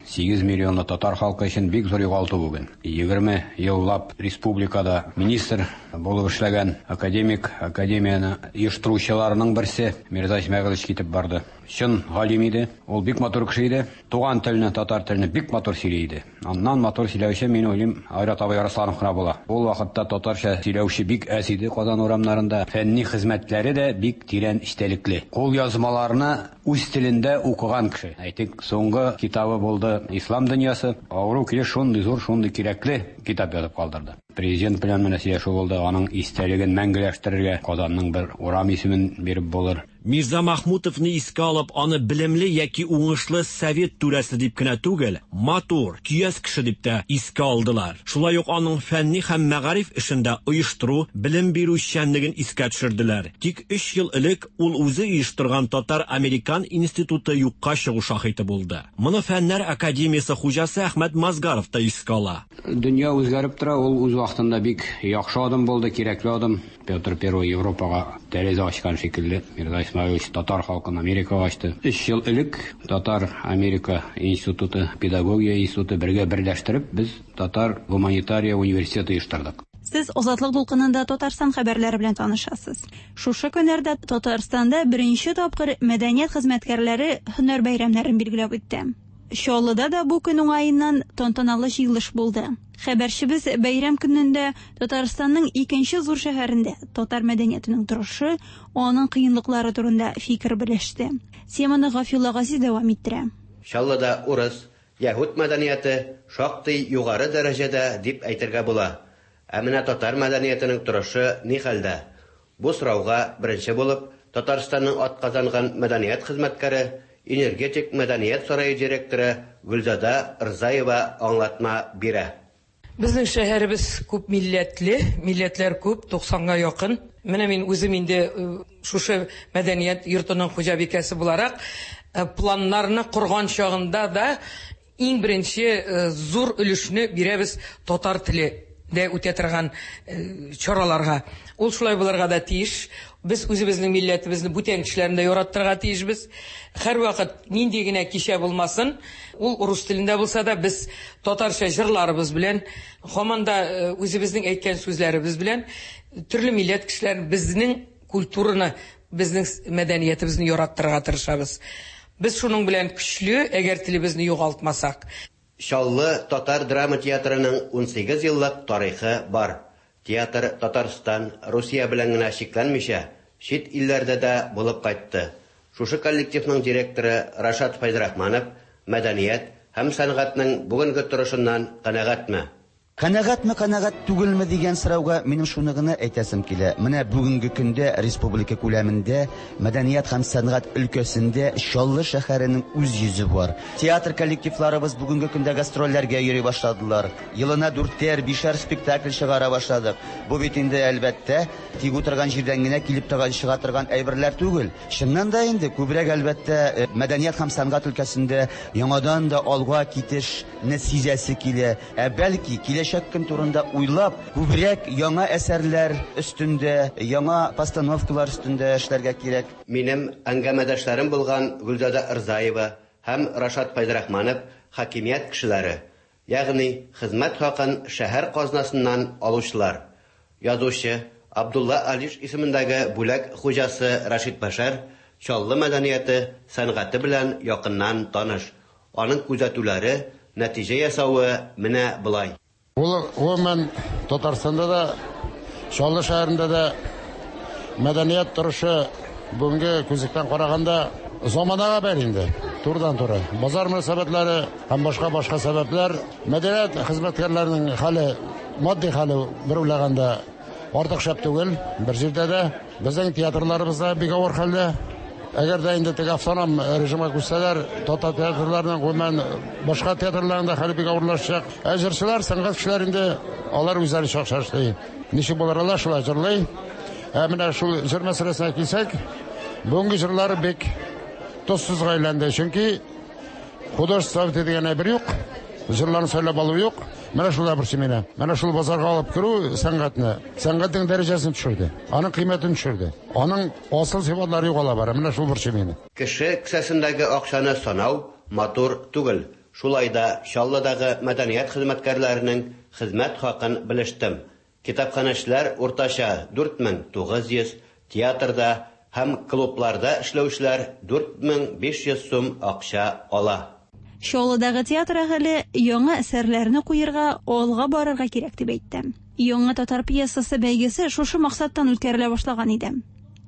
Сигез миллионлы татар халкы өчен бик зур югалту бүген. Егерме еллап республикада министр булып эшләгән академик, академияне оештыручыларның берсе Мирза Исмәгыйлович китеп барды. Чын галим иде, ул бик матур кеше иде. Туган телне, татар телне бик матур сөйли иде. Аннан матур сөйләүче, мин уйлыйм, Айрат абый Арсланов кына була. Ул вакытта татарча сөйләүче бик әз иде Казан урамнарында. Фәнни хезмәтләре дә бик тирән эчтәлекле. Кул язмаларны үз телендә укыган кеше. Әйтик, соңгы китабы булды Ислам дөньясы. Авыру килеш шундый зур, шундый кирәкле китап язып калдырды. Президент белән менә сөйләшү булды, аның истәлеген мәңгеләштерергә Казанның бер урам исемен биреп булыр. Мирза Махмутовны искә алып, аны белемле яки уңышлы совет түрәсе дип кенә түгел, матур, көяз кеше дип тә искә алдылар. Шулай ук аның фәнни һәм мәгариф эшендә оештыру, белем бирү эшчәнлеген искә төшерделәр. Тик өч ел элек ул үзе оештырган Татар-Американ институты юкка чыгу шаһиты булды. Моны Фәннәр академиясе хуҗасы Әхмәт Мазгаров та искә ала. Дөнья үзгәреп тора, ул үз вакытында бик яхшы адым булды, кирәкле адым. Петр Первый Европага тәрәзә ачкан шикелле, Мирза Исмәгыйлович татар халкын Америкага ачты. Өч ел элек Татар-Америка институты, педагогия институты бергә берләштереп, без Татар гуманитария университеты оештырдык. Сез Азатлык дулкынында Татарстан хәбәрләре белән танышасыз. Шушы көннәрдә Татарстанда беренче тапкыр мәдәният хезмәткәрләре һөнәр бәйрәмнәрен билгеләп үтте. Чаллыда да бу көн уңаеннан тантаналы җыелыш булды. Хәбәрчебез бәйрәм көнендә Татарстанның икенче зур шәһәрендә татар мәдәниятенең торышы, аның кыенлыклары турында фикер белеште. Теманы Гафилла Газиз дәвам иттерә. Чаллыда урыс, яһүд мәдәнияте шактый югары дәрәҗәдә дип әйтергә була. Ә менә татар мәдәниятенең торышы ни хәлдә? Бу сорауга беренче булып Татарстанның атказанган мәдәният хезмәткәре, Энергетик мәдәният сарае директоры Гөлзада Рзаева аңлатма бирә. Безнең шәһәребез күп милләтле, милләтләр күп, туксанга якын. Менә мин үзем инде шушы мәдәният йортының хуҗабикәсе буларак, планнарны корган чагында да иң беренче зур өлешне бирәбез татар теле дә үтә торган чараларга. Ул шулай булырга да тиеш. Без үзебезнең милләтебезне бүтән кешеләрне дә яраттырырга тиешбез. Һәрвакыт нинди генә кичә булмасын, ул рус телендә булса да, без татарча җырларыбыз белән, һаман да үзебезнең әйткән сүзләребез белән төрле милләт кешеләрен безнең культураны, безнең мәдәниятебезне яраттырырга тырышабыз. Без шуның белән көчле, әгәр телебезне югалтмасак. Чаллы татар драма театрының унсигез еллык тарихы бар. Театр Татарстан, Русия белән генә чикләнмичә, чит илләрдә дә булып кайтты. Шушы коллективның директоры Рашат Фәйзрахманов мәдәният һәм сәнгатьнең бүгенге торышыннан канәгатьме? Канәгатьме, канәгать түгелме дигән сорауга минем шуны гына әйтәсем килә. Менә бүгенге көндә республика күләмендә мәдәният һәм сәнгать өлкәсендә Чаллы шәһәренең үз йөзе бар. Театр коллективларыбыз бүгенге көндә гастрольләргә йөри башладылар. Елына дүртәр, бишәр спектакль чыгара башладык. Бу бит инде әлбәттә тик утырган җирдән генә килеп торган чыга торган әйберләр түгел. Чыннан да инде күбрәк әлбәттә мәдәният һәм сәнгать өлкәсендә яңадан да алга китешне сизәсе килә. Ә бәлки киләчәк көн турында уйлап, күбрәк яңа әсәрләр өстендә, яңа постановкалар өстендә эшләргә кирәк. Минем әңгәмәдәшләрем булган Гөлзада Рзаева һәм Рашат Фәйзрахманов хакимият кешеләре, ягъни хезмәт хакын шәһәр казнасыннан алучылар. Язучы Абдулла Алиш исемендәге бүләк хуҗасы Рашид Башар Чаллы мәдәнияте, сәнгате белән якыннан таныш. Аның күзәтүләре, нәтиҗә ясавы менә болай. Ул гомумән Татарстанда да, Чаллы шәһәрендә дә мәдәният торышы бүгенге күзлектән караганда заманага бәйле инде. Турыдан-туры. Базар мөнәсәбәтләре һәм башка-башка сәбәпләр мәдәният хезмәткәрләренең хәле, матди хәле бер уйлаганда артык шәп түгел. Бер җирдә дә безнең театрларыбыз да бик авыр хәлдә. Әгәр дә инде теге автоном режимга күчсәләр, татар театрларының, гомумән башка театрларның да хәле бик авырлашачак. Ә җырчылар, сәнгать кешеләре инде алар үзләре чакча эшли. Ничек булыр алар шулай җырлый. Ә менә шул җыр мәсьәләсенә килсәк, бүгенге җырлар бик тозсызга әйләнде. Чөнки художество дигән әйбер юк, җырларны сайлап алу юк. Менә шул да борчый мине. Менә шул базарга алып керү сәнгатьне, сәнгатьнең дәрәҗәсен төшерде, аның кыйммәтен төшерде. Аның асыл сыйфатлары югала бара. Менә шул борчый мине. Кеше кесәсендәге акчаны санау матур түгел. Шулай да Чаллыдагы мәдәният хезмәткәрләренең хезмәт хакын белештем. Китапханәчеләр уртача дүрт мең тугыз йөз, театрда һәм клубларда эшләүчеләр дүрт мең биш йөз сум акча ала. Чаллыдагы театр әһеле яңа әсәрләрне куярга, алга барырга кирәк дип әйтте. Яңа татар пьесасы бәйгесе шушы максаттан үткәрелә башлаган иде.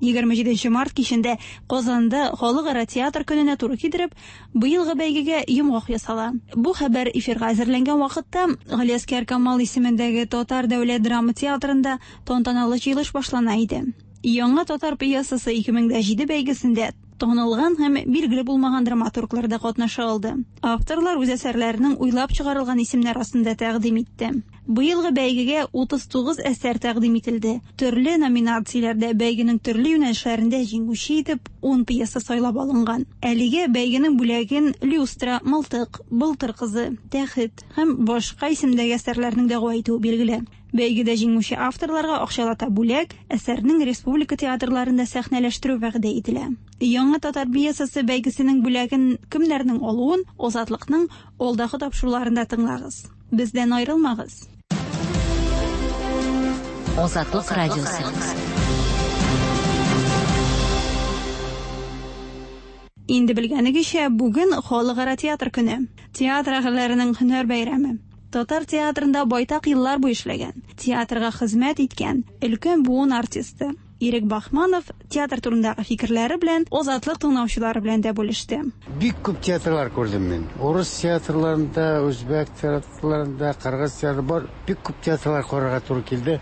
егерме җиденче март кичендә Казанда халыкара театр көненә туры китереп, быелгы бәйгегә йомгак ясала. Бу хәбәр эфирга әзерләнгән вакытта Галиәсгар Камал исемендәге Татар дәүләт драма театрында тантаналы җыелыш башлана иде. Яңа татар пьесасы ике мең дә җиде бәйгесендә танылган һәм билгеле булмаган драматурглар да катнаша алды. Авторлар үз әсәрләренең уйлап чыгарылган исемнәр астында тәкъдим итте. Быелгы бәйгегә утыз тугыз әсәр тәкъдим ителде. Төрле номинацияләрдә бәйгенең төрле юнәлешләрендә җиңүче итеп ун пьеса сайлап алынган. Әлегә бәйгенең бүләген Люстра, Мылтык, Былтыр кызы, Тәхет һәм башка исемдәге әсәрләрнең дәгъва итүе билгеле. Бәйгедә җиңүче авторларга акчалата бүләк, әсәрнең республика театрларында сәхнәләштерү вәгъдә ителә. Яңа татар пьесасы бәйгесенең бүләген кемнәрнең алуын Азатлыкның алдагы тапшыруларында тыңлагыз. Бездән аерылмагыз. Азатлык радиосы. Инде белгәнегезчә, бүген халыкара театр көне. Театр әһелләренең һөнәр бәйрәме. Татар театрында байтак еллар буе эшләгән, театрга хезмәт иткән өлкән буын артисты Ирек Бахманов театр турындагы фикерләре белән Азатлык тыңлаучылары белән дә бүлеште. Бик күп театрлар күрдем мин. Урыс театрларында, үзбәк театрларында, кыргыз театры бар. Бик күп театрлар карарга туры килде.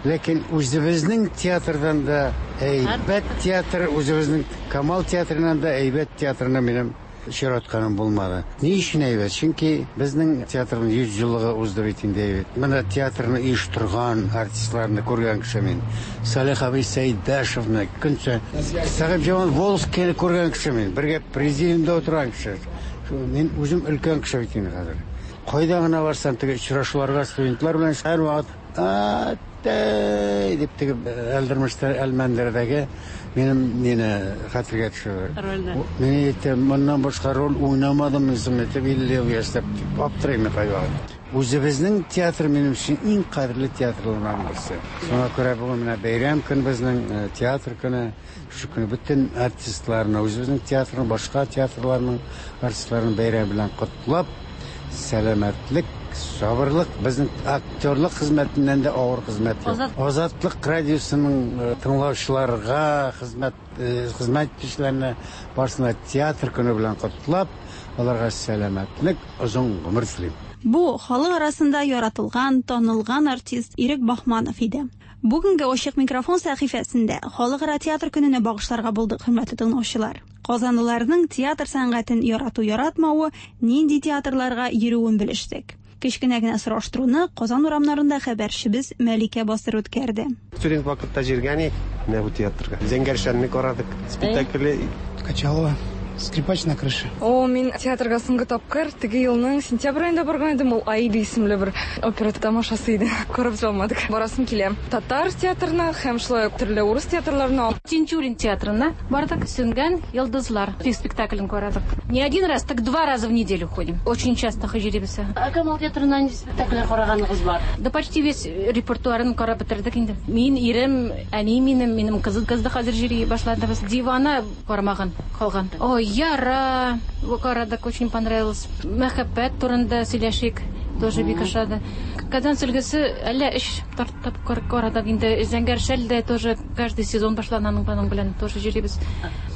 Ләкин үзебезнең театрдан да әйбәт театр, үзебезнең Камал театрыннан да әйбәт театрына минем очратканым булмады. Ни өчен әйбәт? Чөнки безнең театрның йөз еллыгы узды бит инде әйбәт. Менә театрны оештырган артистларны күргән кеше мин. Салих абый Сәйдәшевны, көнчә Сәхибҗан Волжскийны күргән кеше мин. Бергә президиумда утырган кеше. Мин үзем өлкән кеше бит инде хәзер. Кайда гына барсам, теге очрашуларга студентлар белән һәрвакыт дип теге Әлдермештә, Әлмәндәрдәге минем мине хәтергә төшерде. Мин әйтәм, моннан башка роль уйнамадым үзем, әйтеп илле ел яшьтә аптырыйм кайвакыт. Үзебезнең театр минем өчен иң кадерле театрларның берсе. Шуңа күрә бүген менә бәйрәм көн безнең, театр көне. Шул көне бөтен артистларны, үзебезнең театрның, башка театрларның артистларын бәйрәм белән котлап, сәламәтлек, сабырлык, безнең актерлык хезмәтеннән дә авыр хезмәт юк. Азатлык радиосының тыңлаучыларга, хезмәт хезмәт итүчеләренә барысына театр көне белән котлап, аларга сәламәтлек, озын гомер телим. Бу халык арасында яратылган, танылган артист Ирек Бахманов иде. Бүгенге Ачык микрофон сәхифәсендә халыкара театр көненә багышларга булдык, хөрмәтле тыңлаучылар. Казанлыларның театр сәнгатен ярату-яратмавы, нинди театрларга йөрүен белештек. Кечкенә генә сораштыруны Казан урамнарында хәбәрчебез Мәликә Басыр үткәрде. Студент вакытта җиргән идек, менә бу театрга. Зәңгәр шәлне карадык. Спектакле Качалова. «Скрипач на крыше». О, мин театрга соңгы тапкыр теге елның сентябрь аенда барган идем. Ул «Аида» исемле бер опера тамашасы иде. Карап бетерә алмадык. Барасым килә. Татар театрына һәм шулай ук төрле урыс театрларына. Тинчурин театрына бардык, «Сүнгән йолдызлар» спектаклен карадык. Не один раз, так два раза в неделю ходим. Очень часто йөрибез. Ә Камал театрына нинди спектакльләр караганыгыз бар? Да почти весь репертуарын карап бетердек инде. Мин, ирем, әни минем, минем кызым кыз да хәзер йөри башлады. Без «Дивана» карамаган калган. Ой, «Яра» карадык, очень понравилось. Мәхәббәт турында сөйләшик, тоже бик ошады. «Казан сөлгесе» әллә өч тапкыр карадык инде. «Зәңгәр шәл» дә тоже каждый сезон башлана, аның белән тоже йөрибез.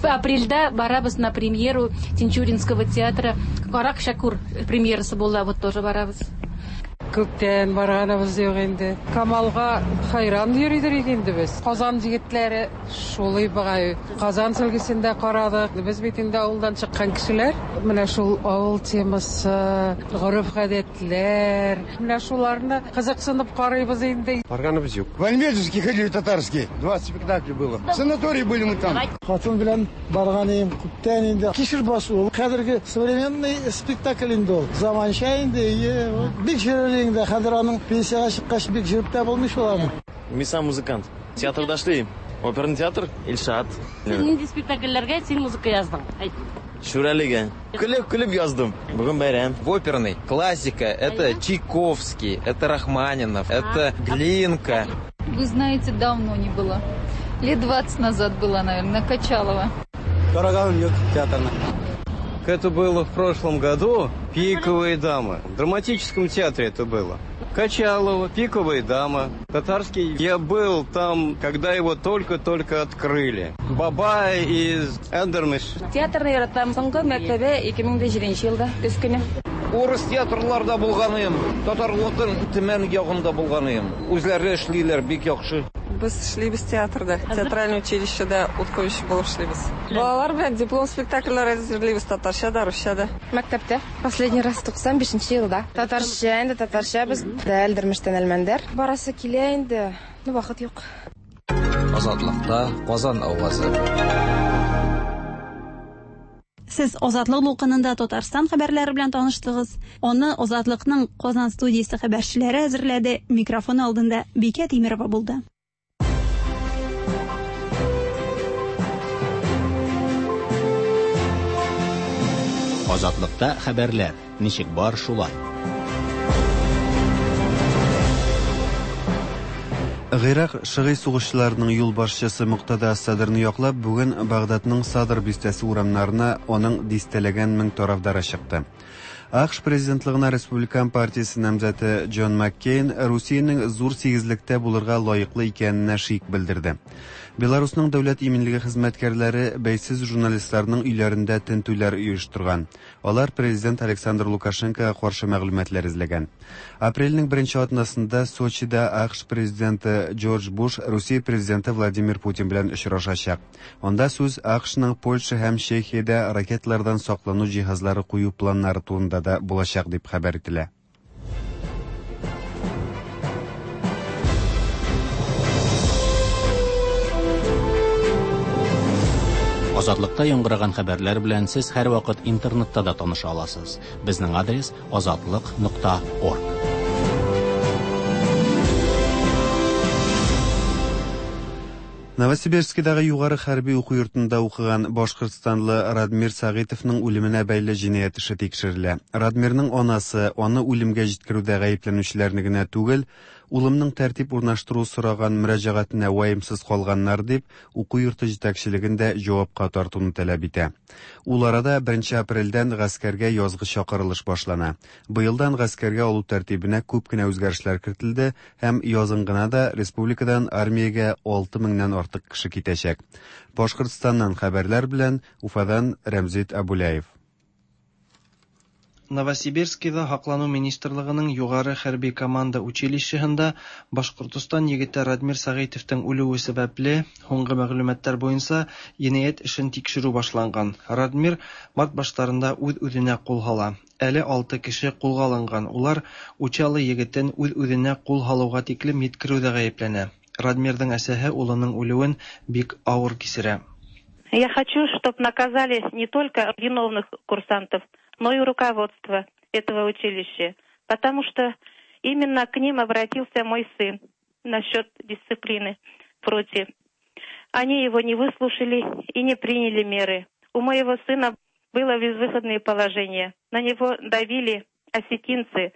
Апрельдә барабыз на премьеру Тинчуринского театра. «Карак Шакур» премьерасы була, вот тоже барабыз. Күптән барганыбыз юк инде. Камалга хайран йөридер инде без. Казан егетләре шулай бугай. «Казан сөлгесен» дә карадык. Без бит инде авылдан чыккан кешеләр. Менә шул авыл темасы, гореф-гадәтләр, менә шуларны кызыксынып карыйбыз инде. Барганыбыз юк. В Альметьевске ходили татарский. Двадцать спектаклей было. В санатории были мы там. Хатын белән барган идем күптән инде. «Кишер басу» ул хәзерге современный спектакль инде ул. Заманча инде, бик җирле инде. Хәзер аның пенсиягә чыккач бик җөреп тә булмый шул аны. Мин сам музыкант. Театрда эшлим. Оперный театр, Илшат. Син нинди спектакльләргә син музыка яздың? Әйт. Шүрәлегә. Көлеп-көлеп яздым. Бүген бәйрәм. В оперный классика — это Чайковский, это Рахманинов, это Глинка. Вы знаете, давно не было. Лет двадцать назад была, наверное, на Качалова. Караганым юк театрына. Это было в прошлом году, «Пиковые дамы». В драматическом театре это было. Качалова, «Пиковая дама». Татарский. Я был там, когда его только-только открыли. Бабай из Эндермиш. Театрны яратам. Соңгы мәртәбә ике мең дә җиденче елда көз көне. Урыс театрларда булганым, татарлыкның Төмән ягында булганым. Үзләре эшлиләр бик яхшы. Без эшлибез театрда, театральный училищеда ут куючы булып эшлибез. Балалар белән диплом спектакльләр әзерлибез татарча да, русча да. Мәктәптә последний раз туксан бишенче елда. Татарча инде, татарча без Әлдермештән Әлмәндәр. Барасы килә инде, но вакыт юк. Азатлыкта Казан авазы. Сез Азатлык дулкынында Татарстан хәбәрләре белән таныштыгыз. Аны Азатлыкның Казан студиясе хәбәрчеләре әзерләде. Микрофон алдында Бикә Тимирова булды. Азатлыкта хәбәрләр ничек бар шулай. Гыйрак шыгый сугышчыларының юлбашчысы Муктада Садрны яклап, бүген Багдадның Садр бистәсе урамнарына аның дистәләгән мең тарафдары чыкты. А К Ш президентлыгына Республикан партиясе намзәте Джон Маккейн Русиянең зур сигезлектә булырга лаеклы икәненә шик белдерде. Беларусның дәүләт иминлеге хезмәткәрләре бәйсез журналистларның өйләрендә тентүләр оештырган. Алар президент Александр Лукашенкога каршы мәгълүматлар эзләгән. Апрельнең беренче атнасында Сочида А К Ш президенты Джордж Буш Русия президенты Владимир Путин белән очрашачак. Анда сүз А К Шның Польша һәм Чехиядә ракеталардан саклану җиһазлары кую планнары турында да булачак дип хәбәр ителә. Азатлыкта яңгыраган хәбәрләр белән сез һәрвакыт интернетта да таныша аласыз. Безнең адрес: азатлык нокта орг. Новосибирскидагы югары хәрби уку йортында укыган башкортстанлы Радмир Сагитовның үлеменә бәйле җинаять эше тикшерелә. Радмирның анасы аны үлемгә җиткерүдә гаепләнүчеләрне генә түгел, улымның тәртип урнаштыру сораган мөрәҗәгатенә ваемсыз калганнар дип, уку йорты җитәкчелеген дә җавапка тартуны таләп итә. Ул арада беренче апрельдән гаскәргә язгы чакырылыш башлана. Быелдан гаскәргә алу тәртибенә күп кенә үзгәрешләр кертелде һәм язын гына да республикадан армиягә алты меңнән артык кеше китәчәк. Башкортстаннан хәбәрләр белән Уфадан Рәмзит Абуляев. Новосибирскида Һаклану министрлыгының югары хәрби команда училищеһында Башкортостан егете Радмир Сәгыйтовтың үлүе сәбәпле, һуңгы мәгълүматлар буенча, җинаять эшен тикшерү башланган. Радмир март башларында үз-үзенә кул һала. Әле алты кеше кулга алынган. Улар Учалы егетен үз-үзенә кул һалуга тиклем җиткерүдә гаепләнә. Радмирның әсәһе улының үлүен бик авыр кичерә. Я хочу, чтобы наказали не только виновных курсантов, но и руководство этого училища, потому что именно к ним обратился мой сын насчет дисциплины в роте. Они его не выслушали и не приняли меры. У моего сына было безвыходное положение. На него давили осетинцы.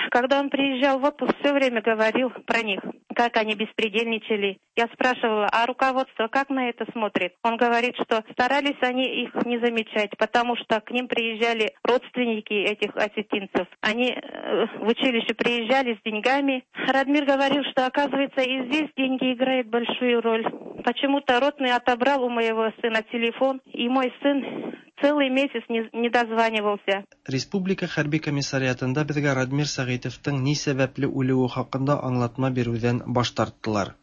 Когда он приезжал в отпуск, все время говорил про них, как они беспредельничали. Я спрашивала, а руководство как на это смотрит? Он говорит, что старались они их не замечать, потому что к ним приезжали родственники этих осетинцев. Они в училище приезжали с деньгами. Радмир говорил, что, оказывается, и здесь деньги играют большую роль. Почему-то ротный отобрал у моего сына телефон, и мой сын целый месяц не, не дозванивался. Республика хәрби комиссариатында безгә Радмир Сәгыйтовның ни сәбәпле үлүе хакында аңлатма бирүдән баш тарттылар.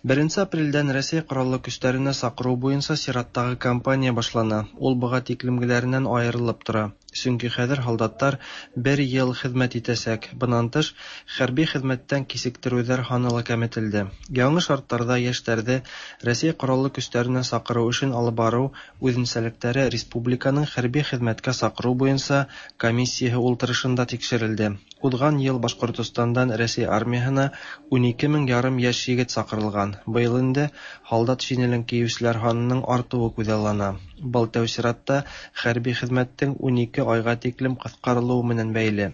Беренче апрельдән Рәсәй Кораллы көчләренә сакыру буенча чираттагы кампания башлана. Ул быга тиклемгеләреннән аерылып тора. Чөнки хәзер солдатлар бер ел хезмәт итәчәк. Буннан тыш, хәрби хезмәттән кисектерүләр һаны ла кәметелде. Яңа шартларда яшьләрне Рәсәй Кораллы көчләренә сакыру эшен алып бару үзенчәлекләре республиканың хәрби хезмәткә сакыру буенча комиссиясе ултырышында тикшерелде. Узган ел Башкортостандан Рәсәй армияһына унике мең ярым яшь егет сакырылган. Быел инде солдат шинелен киючеләр һанының артуы күзаллана. Был тәү чиратта хәрби хезмәттең унике айга тиклем кыскарылуы менән бәйле.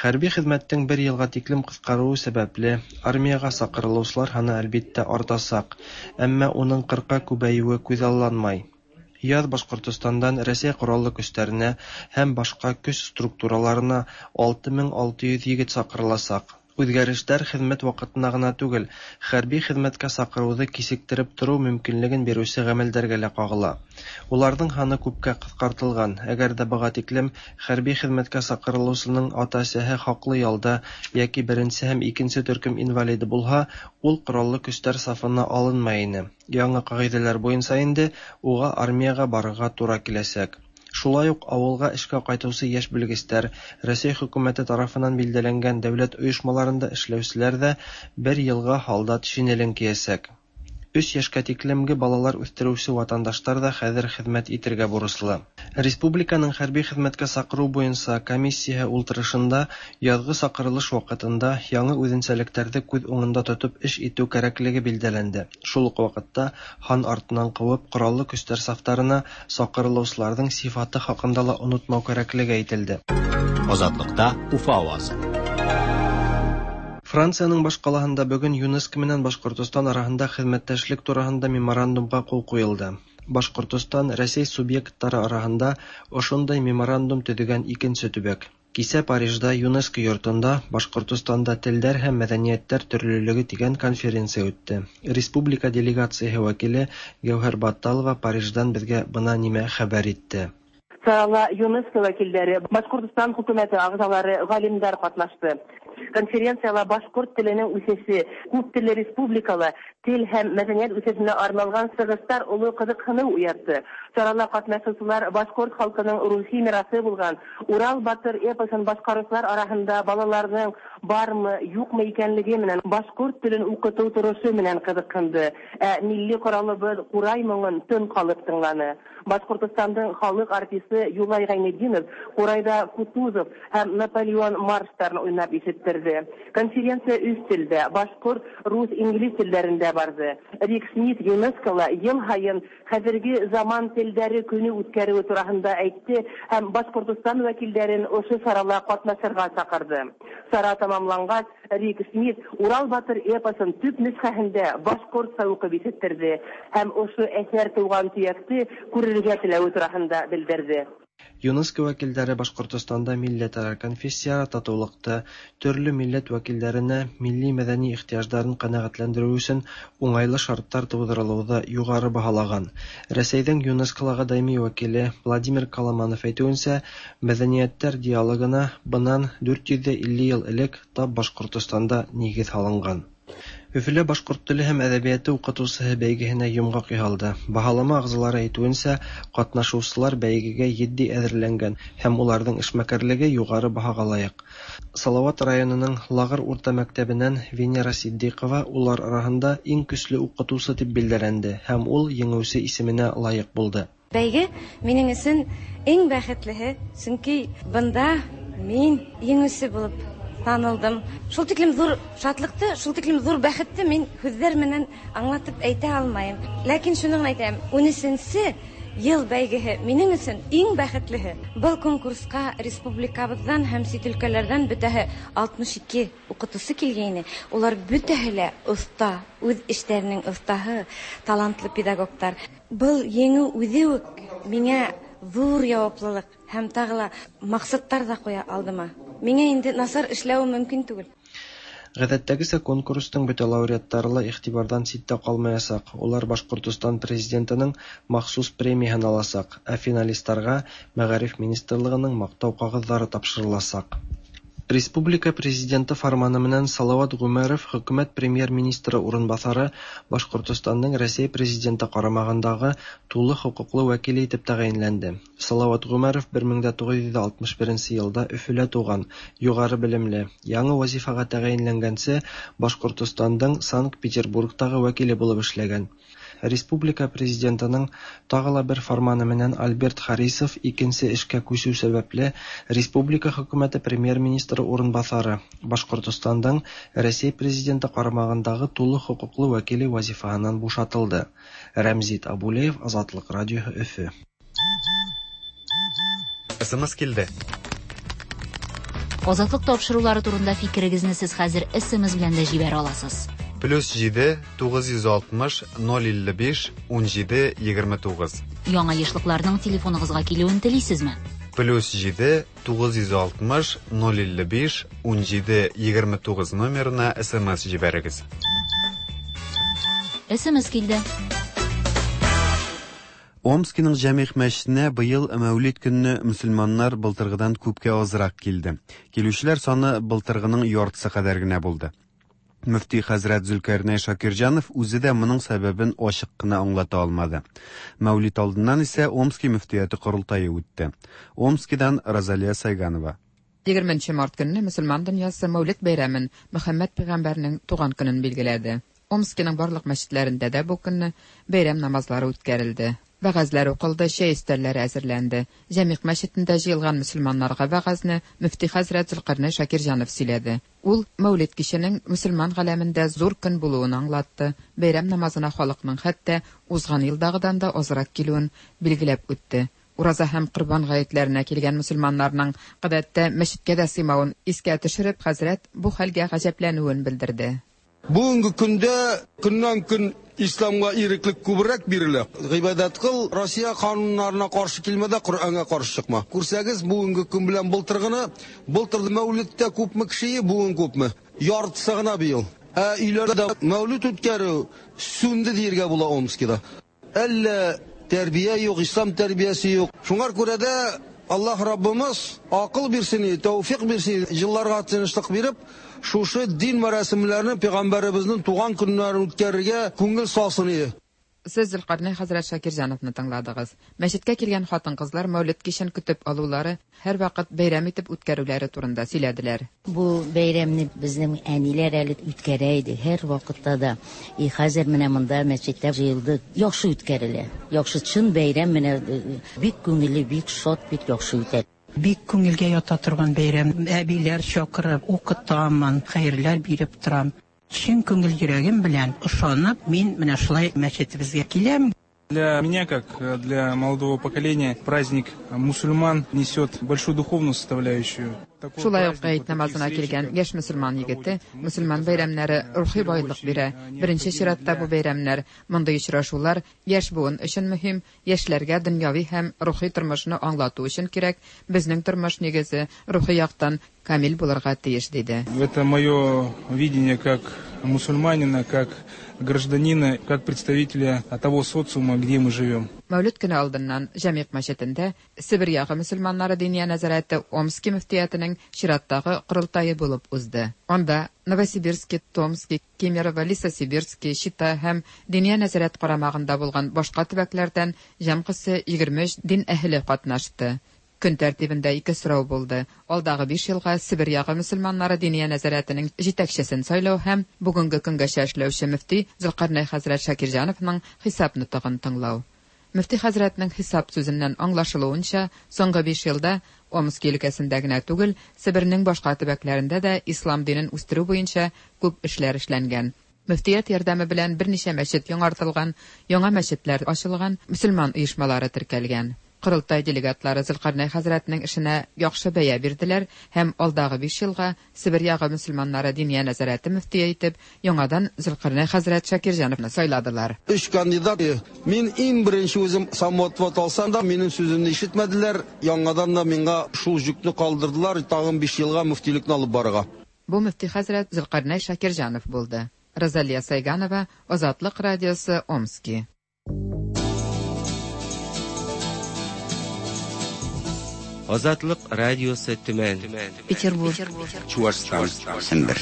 Хәрби хезмәттең бер елга тиклем кыскаруы сәбәпле армиягә сакырылучылар һаны әлбиттә артасак, әмма уның кырка күбәюе күзалланмай. Яз Башкортостандан Рәсәй Кораллы көчләренә һәм башка көч структураларына алты мең алты йөз егет сакырыласак. Үзгәрешләр хезмәт вакытына гына түгел, хәрби хезмәткә сакыруны кисектереп тору мөмкинлеген бирүче гамәлләргә лә кагыла. Уларның һаны күпкә кыскартылган. Әгәр дә быга тиклем хәрби хезмәткә сакырылучының ата-әсәһе хаклы ялда яки беренче һәм икенче төркем инвалиды булһа, ул кораллы көчләр сафына алынмай ине. Яңа кагыйдәләр буенча инде уга армиягә барырга тура киләчәк. Шулай ук авылга эшкә кайтучы яшь белгечләр, Рәсәй хөкүмәте тарафыннан билгеләнгән дәүләт оешмаларында эшләүчеләр дә бер елга солдат шинелен киячәк. Өч яшькә тиклемге балалар үстерүче ватандашлар да хәзер хезмәт итергә бурычлы. Республиканың хәрби хезмәткә сакыру буенча комиссия ултырышында язгы сакырылыш вакытында яңа үзенчәлекләрне күз уңында тотып эш итү кирәклеге билгеләнде. Шул ук вакытта хан артыннан куып кораллы көчләр сафларына сакырылучыларның сифаты хакында ла онытмау кирәклеге әйтелде. Азатлыкта Уфа авазы. Франциянең башкалаһында бүген ЮНЕСКО менән Башкортостан арасында хезмәттәшлек турында меморандумга кул куелды. Башкортостан Рәсәй субъектлары арасында ошондай меморандум төзегән икенче төбәк. Кисә Парижда ЮНЕСКО йортында Башкортостанда телләр һәм мәдәниятләр төрлелеге дигән конференция үтте. Республика делегациясе вәкиле Гәүһәр Батталова Париждан безгә бына нимә хәбәр итте. Сарала ЮНЕСКО вәкилләре, Башкортостан хөкүмәте әгъзалары, галимнәр катнашты. Конференцияла башкорт теленең үсеше, күп телле республикала тел һәм мәдәният үсешенә арналган сыгыштар олы кызыксыну уятты. Чарала катнашучылар башкорт халкының рухи мирасы булган Урал батыр эпосын башкаручылар арасында балаларның бармы, юкмы икәнлеге менән башкорт телен укыту торышы менән кызыксынды. Ә милли коралыбыз Курай моңын тын калып тыңланы. Башкортостандың халык артисты Юлай Гайнетдинов Курайда Кутузов һәм Наполеон марштарын уйнап ишеттерде. Конференция өч телдә, башкорт, рус, инглиз телләрендә барды. Рик Смит ЮНЕСКОла ел һайын хәзерге заман телләре көне үткәрүе турында әйтте һәм Башкортостан вәкилләрен ошо чарала катнашырга чакырды. Чара тамамлангач, Рик Смит Урал батыр эпосын төп нөсхәһендә башкортча укып ишеттерде һәм ошо әсәр туган төякте күрергә теләве турында белдерде. ЮНЕСКО вәкилләре Башкортостанда милләтара, конфессияара татулыкты, төрле милләт вәкилләренә милли мәдәни ихтыяҗларын канәгатьләндерү өчен уңайлы шартлар тудырылуды югары баһалаган. Рәсәйнең ЮНЕСКОлага даими вәкиле Владимир Коломанов әйтүенчә, мәдәниятләр диалогына быннан дүрт йөз илле ел элек тап Башкортостанда нигез салынган. Өфөлә башҡорт теле һәм әҙәбиәте уҡытыусыһы бәйгеһенә йомғаҡ яһалды. Баһалама ағзалары әйтеүенсә, ҡатнашыусылар бәйгегә етди әҙерләнгән һәм уларҙың эшмәкәрлеге юғары баһаға лайыҡ. Салауат районының Лағыр урта мәктәбенән Венера Ситдиҡова улар араһында иң көслө уҡытыусы тип билдәләнде һәм ул еңеүсе исеменә лайыҡ булды. Бәйге минең өсөн иң бәхетлеһе, сөнки бында мин еңеүсе булып танылдым. Шул тиклем ҙур шатлыҡты, шул тиклем ҙур бәхетте мин һүҙҙәр менән аңлатып әйтә алмайым. Ләкин шуны ғына әйтәм, ун өсөнсө йыл бәйгеһе минең өсөн иң бәхетлеһе. Был конкурсҡа республикабыҙҙан һәм сит өлкәләрҙән бөтәһе алтмыш ике уҡытыусы килгәйне. Улар бөтәһе лә оҫта, үҙ эштәренең оҫтаһы, талантлы педагогтар. Был еңеү үҙе үк миңә ҙур яуаплылыҡ һәм тағы ла маҡсаттар ҙа ҡуя алдыма. Миңә инде насар эшләү мөмкин түгел. Ғәҙәттәгесә конкурстың бөтә лауреаттары ла иғтибарҙан ситтә ҡалмаясаҡ. Улар Башҡортостан президентының махсус премияһын аласаҡ, ә финалистарға Мәғариф министрлығының маҡтау ҡағыҙҙары тапшырыласаҡ. Республика президенты фарманы менән Салауат Ғүмәров хөкүмәт премьер-министры урынбаҫары Башҡортостандың Рәсәй президенты ҡарамағындағы тулы хоҡуҡлы вәкиле итеп тәғәйенләнде. Салауат Ғүмәров бер мең туғыҙ йөҙ алтмыш беренсе йылда Өфөлә тыуған, юғары белемле, яңы вазифаға тәғәйенләнгәнсе Башҡортостандың Санкт-Петербургтағы вәкиле булып эшләгән. Республика президентының тағы ла бер фарманы менән Альберт Харисов икенсе эшкә күсеү сәбәпле республика хөкүмәте премьер-министры урынбаҫары Башҡортостандың Рәсәй президенты ҡарамағындағы тулы хоҡуҡлы вәкиле вазифаһынан бушатылды. Рәмзит Абулеев, Азатлыҡ радиоһы, Өфө. СМС килде. Азатлыҡ тапшырыулары турында фикерегеҙҙе һеҙ хәҙер СМС белән дә ебәрә аласыз. Плюс җиде, тугыз йөз алтмыш, ноль илле биш, ун җиде, егерме тугыз. Яңа ешлыкларның телефоныгызга килүен телисезме? Плюс җиде, тугыз йөз алтмыш, ноль илле биш, ун җиде, егерме тугыз номерына СМС җибәрегез. СМС килде. Омскиның Җәмигъ мәчетенә быел Мәүлид көнне мөселманнар былтыргыдан күпкә азрак килде. Килүчеләр саны былтыргының яртысы кадәр генә булды. Мөфти хәзрәт Зөлкәрнәй Шакирҗанов үзе дә моның сәбәбен ачык кына аңлата алмады. Мәүлид алдыннан исә Омски мөфтияте корылтае үтте. Омскидан Розалия Сайганова. Егерменче март көнне мөселман дөньясы Мәүлид бәйрәмен Мөхәммәд пәйгамбәрнең туган көнен билгеләде. Омскиның барлык мәчетләрендә дә бу көнне бәйрәм намазлары үткәрелде. Вәгазьләр укылды, чәй өстәлләре әзерләнде. Җәмигъ мәчетендә җыелган мөселманнарга вәгазьне мөфти хәзрәт Зөлкәрнәй Шакирҗанов сөйләде. Ул Мәүлид киченең мөселман галәмендә зур көн булуын аңлатты. Бәйрәм намазына халыкның хәтта узган елдагыдан да азрак килүен билгеләп үтте. Ураза һәм Ҡорбан ғәйетләренә килгән мөселманнарның гадәттә мәчеткә дә сыймавын искә төшереп, хәзрәт бу хәлгә гаҗәпләнүен белдерде. Бүгенге көндә көннән көн исламга иреклек күбрәк бирелә. Гыйбадәт кыл, Россия кануннарына каршы килмә дә, Коръәнгә каршы чыкма. Күрсәгез, бүгенге көн белән былтыргыны, былтыр Мәүлидтә күпме кеше, бүген күпме? Яртысы гына быел. Ә өйләрдә Мәүлид үткәрү сүнде диергә була Омскида. Әллә тәрбия юк, ислам тәрбиясе юк. Шуңар күрә дә Аллаһ Раббымыз акыл бирсен, тәүфик бирсен, елларга тынычлык биреп, шушы дин мәрәсимләрен пәйгамбәребезнең туган көннәрен үткәрергә күңел салсын иде. Сез Зөлкәрнәй хәзрәт Шакирҗановны тыңладыгыз. Мәчеткә килгән хатын-кызлар Мәүлид кичен көтеп алулары, һәр вакыт бәйрәм итеп үткәрүләре турында сөйләделәр. Бу бәйрәмне безнең әниләр әле үткәрә иде һәр вакытта да. И хәзер менә монда мәчеттә җыелды. Яхшы үткәрелә. Яхшы чын бәйрәм менә бик күңелле, бик шат, бик яхшы үтә. Бик күңелгә ята торган бәйрәм. Әбиләр чакырып, укытамын, хәерләр биреп торам. Чын күңел йөрәгем белән ышанып, мин менә шулай мәчетебезгә киләм. Для меня, как для молодого поколения, праздник мусульман несет большую духовную составляющую. Шулай ук гает намазына килгән яшь мөселман егете мөселман бәйрәмнәре рухи байлык бирә. Беренче чиратта бу бәйрәмнәр, мондый очрашулар яшь буын өчен мөһим, яшьләргә дөньяви һәм рухи тормышны аңлату өчен кирәк. Безнең тормыш нигезе рухи яктан камил булырга тиеш, диде. Это мое видение как мусульманина, как гражданина, как представителя того социума, где мы живем. Мәүлид көне алдыннан Җәмигъ мәчетендә Себер ягы мөселманнары Диния нәзарәте Омски мөфтиятенең чираттагы корылтае булып узды. Анда Новосибирски, Томски, Кемерово, Лесосибирски, Чита һәм Диния нәзарәт карамагында булган башка төбәкләрдән җәмгысе егерме өч дин әһеле катнашты. Көн тәртибендә ике сорау булды. Алдагы биш елга Себер ягы мөселманнары Диния нәзарәтенең җитәкчесен сайлау һәм бүгенге көнгәчә эшләүче мөфти Зөлкарнәй хәзрәт Шакирҗановның хисап нотыгын тыңлау. Мөфти хәзрәтнең хисап сүзеннән аңлашылуынча, соңгы биш елда Омски өлкәсендә генә түгел, Себернең башка төбәкләрендә дә ислам динен үстерү буенча күп эшләр эшләнгән. Мөфтият ярдәме белән берничә мәчет яңартылган, яңа мәчетләр ачылган, мөселман оешмалары теркәлгән. Корылтай делегатлары Зөлкарнәй хәзрәтнең эшенә яхшы бәя бирделәр һәм алдагы биш елга Себер ягы мөселманнары Диния нәзарәте мөфтие итеп яңадан Зөлкарнәй хәзрәт Шакирҗановны сайладылар. Өч кандидат. Мин иң беренче үзем самоотвод алсам да, минем сүземне ишетмәделәр. Яңадан да миңа шул йөкне калдырдылар, тагын биш елга мөфтилекне алып барырга. Бу мөфти хәзрәт Зөлкарнәй Шакирҗанов булды. Розалия Сайганова, Азатлык радиосы, Омски. Азатлык радиосы Төмән, Петербург, Чуашстан, Сембер.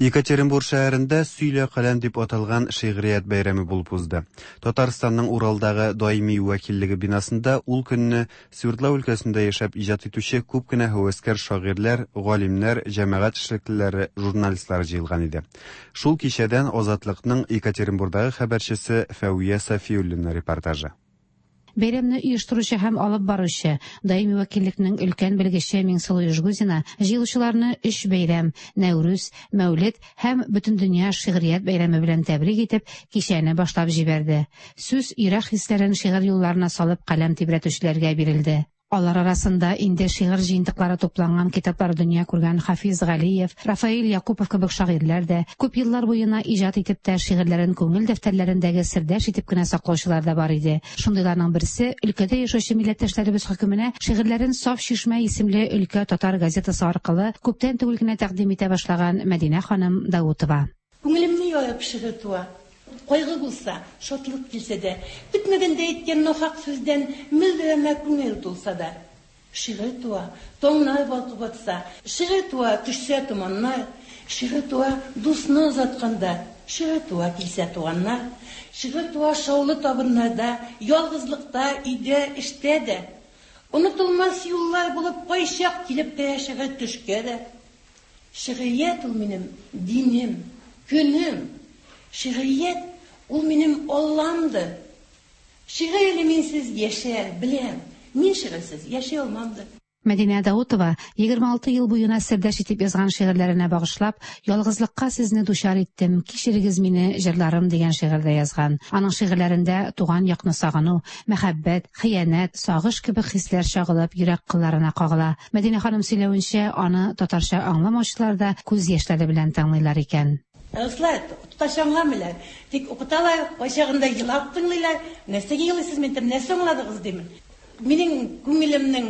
Екатеринбург шәһәрендә Сөйлә каләм дип аталган шигърият бәйрәме булып узды. Татарстанның Уралдагы даими вәкиллеге бинасында ул көнне Свердлау өлкәсендә яшәп иҗат итүче күп кенә һәвәскәр шагыйрьләр, галимнәр, җәмәгать эшлеклеләре, журналистлар җыелган иде. Шул кичәдән Азатлыкның Екатеринбургдагы хәбәрчесе Фәүия Сафиуллина репортажы. Бәйрәмне оештыручы һәм алып баручы даими вәкиллекнең өлкән белгече Миңсылу Южгузина җыелучыларны өч бәйрәм Нәүрүз, Мәүлид һәм Бөтендөнья шигърият бәйрәме белән тәбрик итеп кичәне башлап җибәрде. Сүз йөрәк хисләрен шигырь юлларына салып каләм тибрәтүчеләргә бирелде. Алар арасында инде шигырь җыентыклары тупланган китаплар дөнья күргән Хафиз Галиев, Рафаэль Якупов кебек шагыйрьләр дә, күп еллар буена иҗат итеп тә шигырьләрен күңел дәфтәрләрендәге сердәш итеп кенә саклаучылар да бар иде. Шундыйларның берсе өлкәдә яшәүче милләттәшләребез хөкеменә шигырьләрен Саф чишмә исемле өлкә татар газетасы аркылы күптән түгел генә тәкъдим итә башлаган Мәдинә ханым Даутова. Күңелемне ярып шигырь туа. Кайгы булса, шатлык килсә дә, көтмәгәндә әйткән нахак сүздән мөлдерәмә күңел тулса да. Шигырь туа, таңнар балкып атса, шигырь туа, төшсә томаннар, шигырь туа, дусны озатканда, шигырь туа, килсә туганнар, шигырь туа шаулы табыннарда, ялгызлыкта, өйдә, эштә дә. Онытылмас юллар булып кайчак килеп керә шигырь төшкә дә. Шигърият ул минем динем, көнем. Шигърият ул минем Алламдыр. Шигырь әле минсез яшәр, беләм. Мин шигырьсез яши алмамдыр. Мәдинә Даутова егерме алты ел буена сердәш итеп язган шигырьләренә багышлап, "Ялгызлыкка сезне дучар иттем, кичерегез мине, җырларым" дигән шигырьдә язган. Аның шигырьләрендә туган якны сагыну, мәхәббәт, хыянәт, сагыш кебек хисләр чагылып йөрәк кылларына кагыла. Мәдинә ханым сөйләвенчә, аны татарча аңламаучылар да күз яшьләре белән тыңлыйлар икән. Руслар тоташа аңламыйлар. Тик укыталар, кайчагында елап тыңлыйлар. Нәрсәгә елыйсыз, мин әйтәм, нәрсә аңладыгыз димен. Минем күңелемнең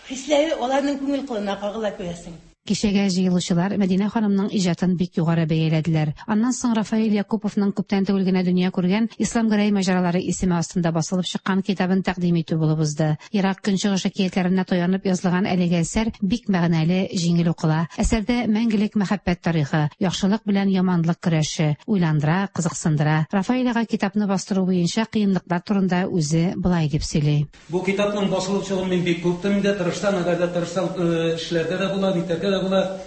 хисләре аларның күңел кылына кагыла күрәсең. Кичәгә җыелучылар Мәдинә ханымның иҗатын бик югары бәяләделәр. Аннан соң Рафаэль Якуповның күптән түгел генә дөнья күргән Ислам Гәрәй маҗаралары исеме астында басылып чыккан китабын тәкъдим итү булып узды. Ерак Көнчыгыш әкиятләренә таянып язылган әлеге әсәр бик мәгънәле, җиңел укыла. Әсәрдә мәңгелек мәхәббәт тарихы, яхшылык белән яманлык көрәше уйландыра, кызыксындыра. Рафаэль ага китапны бастыру буенча кыенлыклар турында үзе былай дип сөйли. Бу китапның басылып чыгуын мин бик көттем инде, тырышсаң, әгәр дә тырышсаң, эшләрдә дә була, нитәргә дә була,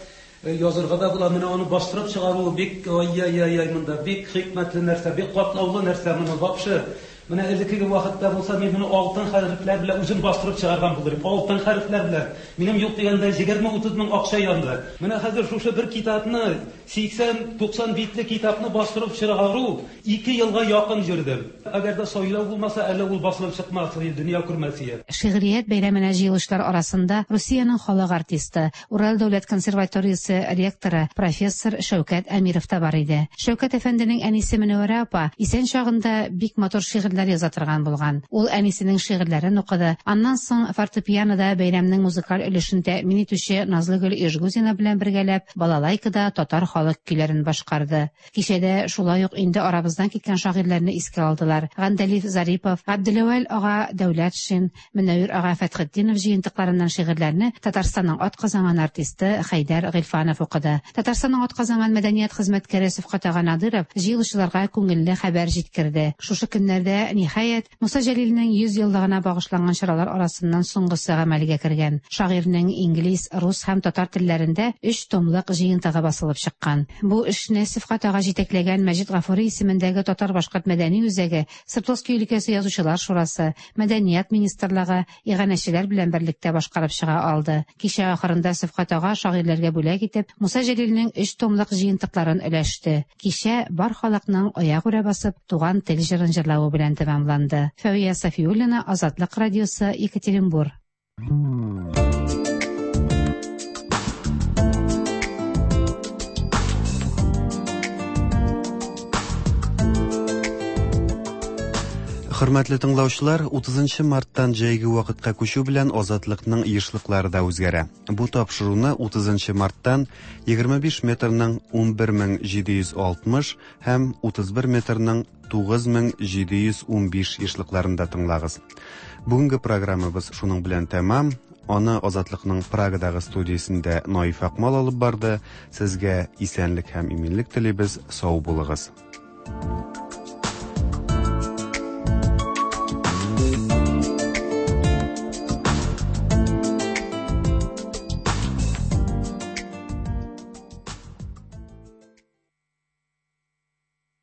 язырга да була. Менә аны бастырып чыгару бик ай-яй-яй монда бик хикмәтле нәрсә, бик катлаулы нәрсә моны вообще. Менә элеккеге вакытта булса, мин моны алтын хәрефләр белән үзем бастырып чыгарган булыр идем. Алтын хәрефләр белән. Минем юк дигәндә егерме утыз мең акча янды. Менә хәзер шушы бер китапны, сиксән туксан битле китапны бастырып чыгару ике елга якын йөрдем. Әгәр дә сайлау булмаса, әле ул басылып чыкмас иде, дөнья күрмәс иде. Шигърият бәйрәменә җыелышлар арасында Русиянең халык артисты, Урал дәүләт консерваториясе ректоры профессор Шәүкәт Әмиров та бар иде. Шәүкәт әфәнденең әнисе Мөнәвәрә апа исән чагында бик матур шигырьләр шигырьләр яза торган булган. Ул әнисенең шигырьләрен укыды. Аннан соң фортепианода бәйрәмнең музыкаль өлешен тәэмин итүче Назлыгөл Ижгузина белән бергәләп балалайкада татар халык көйләрен башкарды. Кичәдә шулай ук инде арабыздан киткән шагыйрьләрне искә алдылар. Гандәлиф Зарипов, Габделәвәл ага Дәүләтшин, Мөнәвир ага Фәтхетдинов җыентыкларыннан шигырьләрне Татарстанның атказанган артисты Хәйдәр Гыйльфанов укыды. Татарстанның атказанган мәдәният хезмәткәре Сәфкать ага Надыров җыелучыларга күңелле хәбәр җиткерде. Шушы көннәрдә, ниһаять, Муса Җәлилнең йөз еллыгына багышланган чаралар арасыннан соңгысы гамәлгә кергән. Шагыйрьнең инглиз, рус һәм татар телләрендә өч томлык җыентыгы басылып чыккан. Бу эшне Сәфкать ага җитәкләгән Мәҗит Гафури исемендәге татар-башкорт мәдәни үзәге, Свердловский өлкәсе язучылар шурасы, Мәдәният министрлыгы, иганәчеләр белән берлектә башкарып чыга алды. Кичә ахырында Сәфкать ага шагыйрьләргә бүләк итеп Муса Җәлилнең өч томлык җыентыкларын өләште. Кичә бар халыкның аягүрә басып туган тел җырын җырлавы белән тәмамланды. Фәвия Сафиуллина, Азатлык радиосы, Екатеринбур. Хөрмәтле тыңлаучылар, утызынчы марттан җәйге вакытка күчү белән Азатлыкның ешлыклары да үзгәрә. Бу тапшыруны утызынчы марттан егерме биш метрның унбер мең җиде йөз алтмыш һәм утыз бер метрның тугыз мең җиде йөз унбиш ешлыкларында тыңлагыз. Бүгенге программабыз шуның белән тәмам. Аны Азатлыкның Прагадагы студиясендә Наиф Акмал алып барды. Сезгә исәнлек һәм иминлек телибез. Сау булыгыз.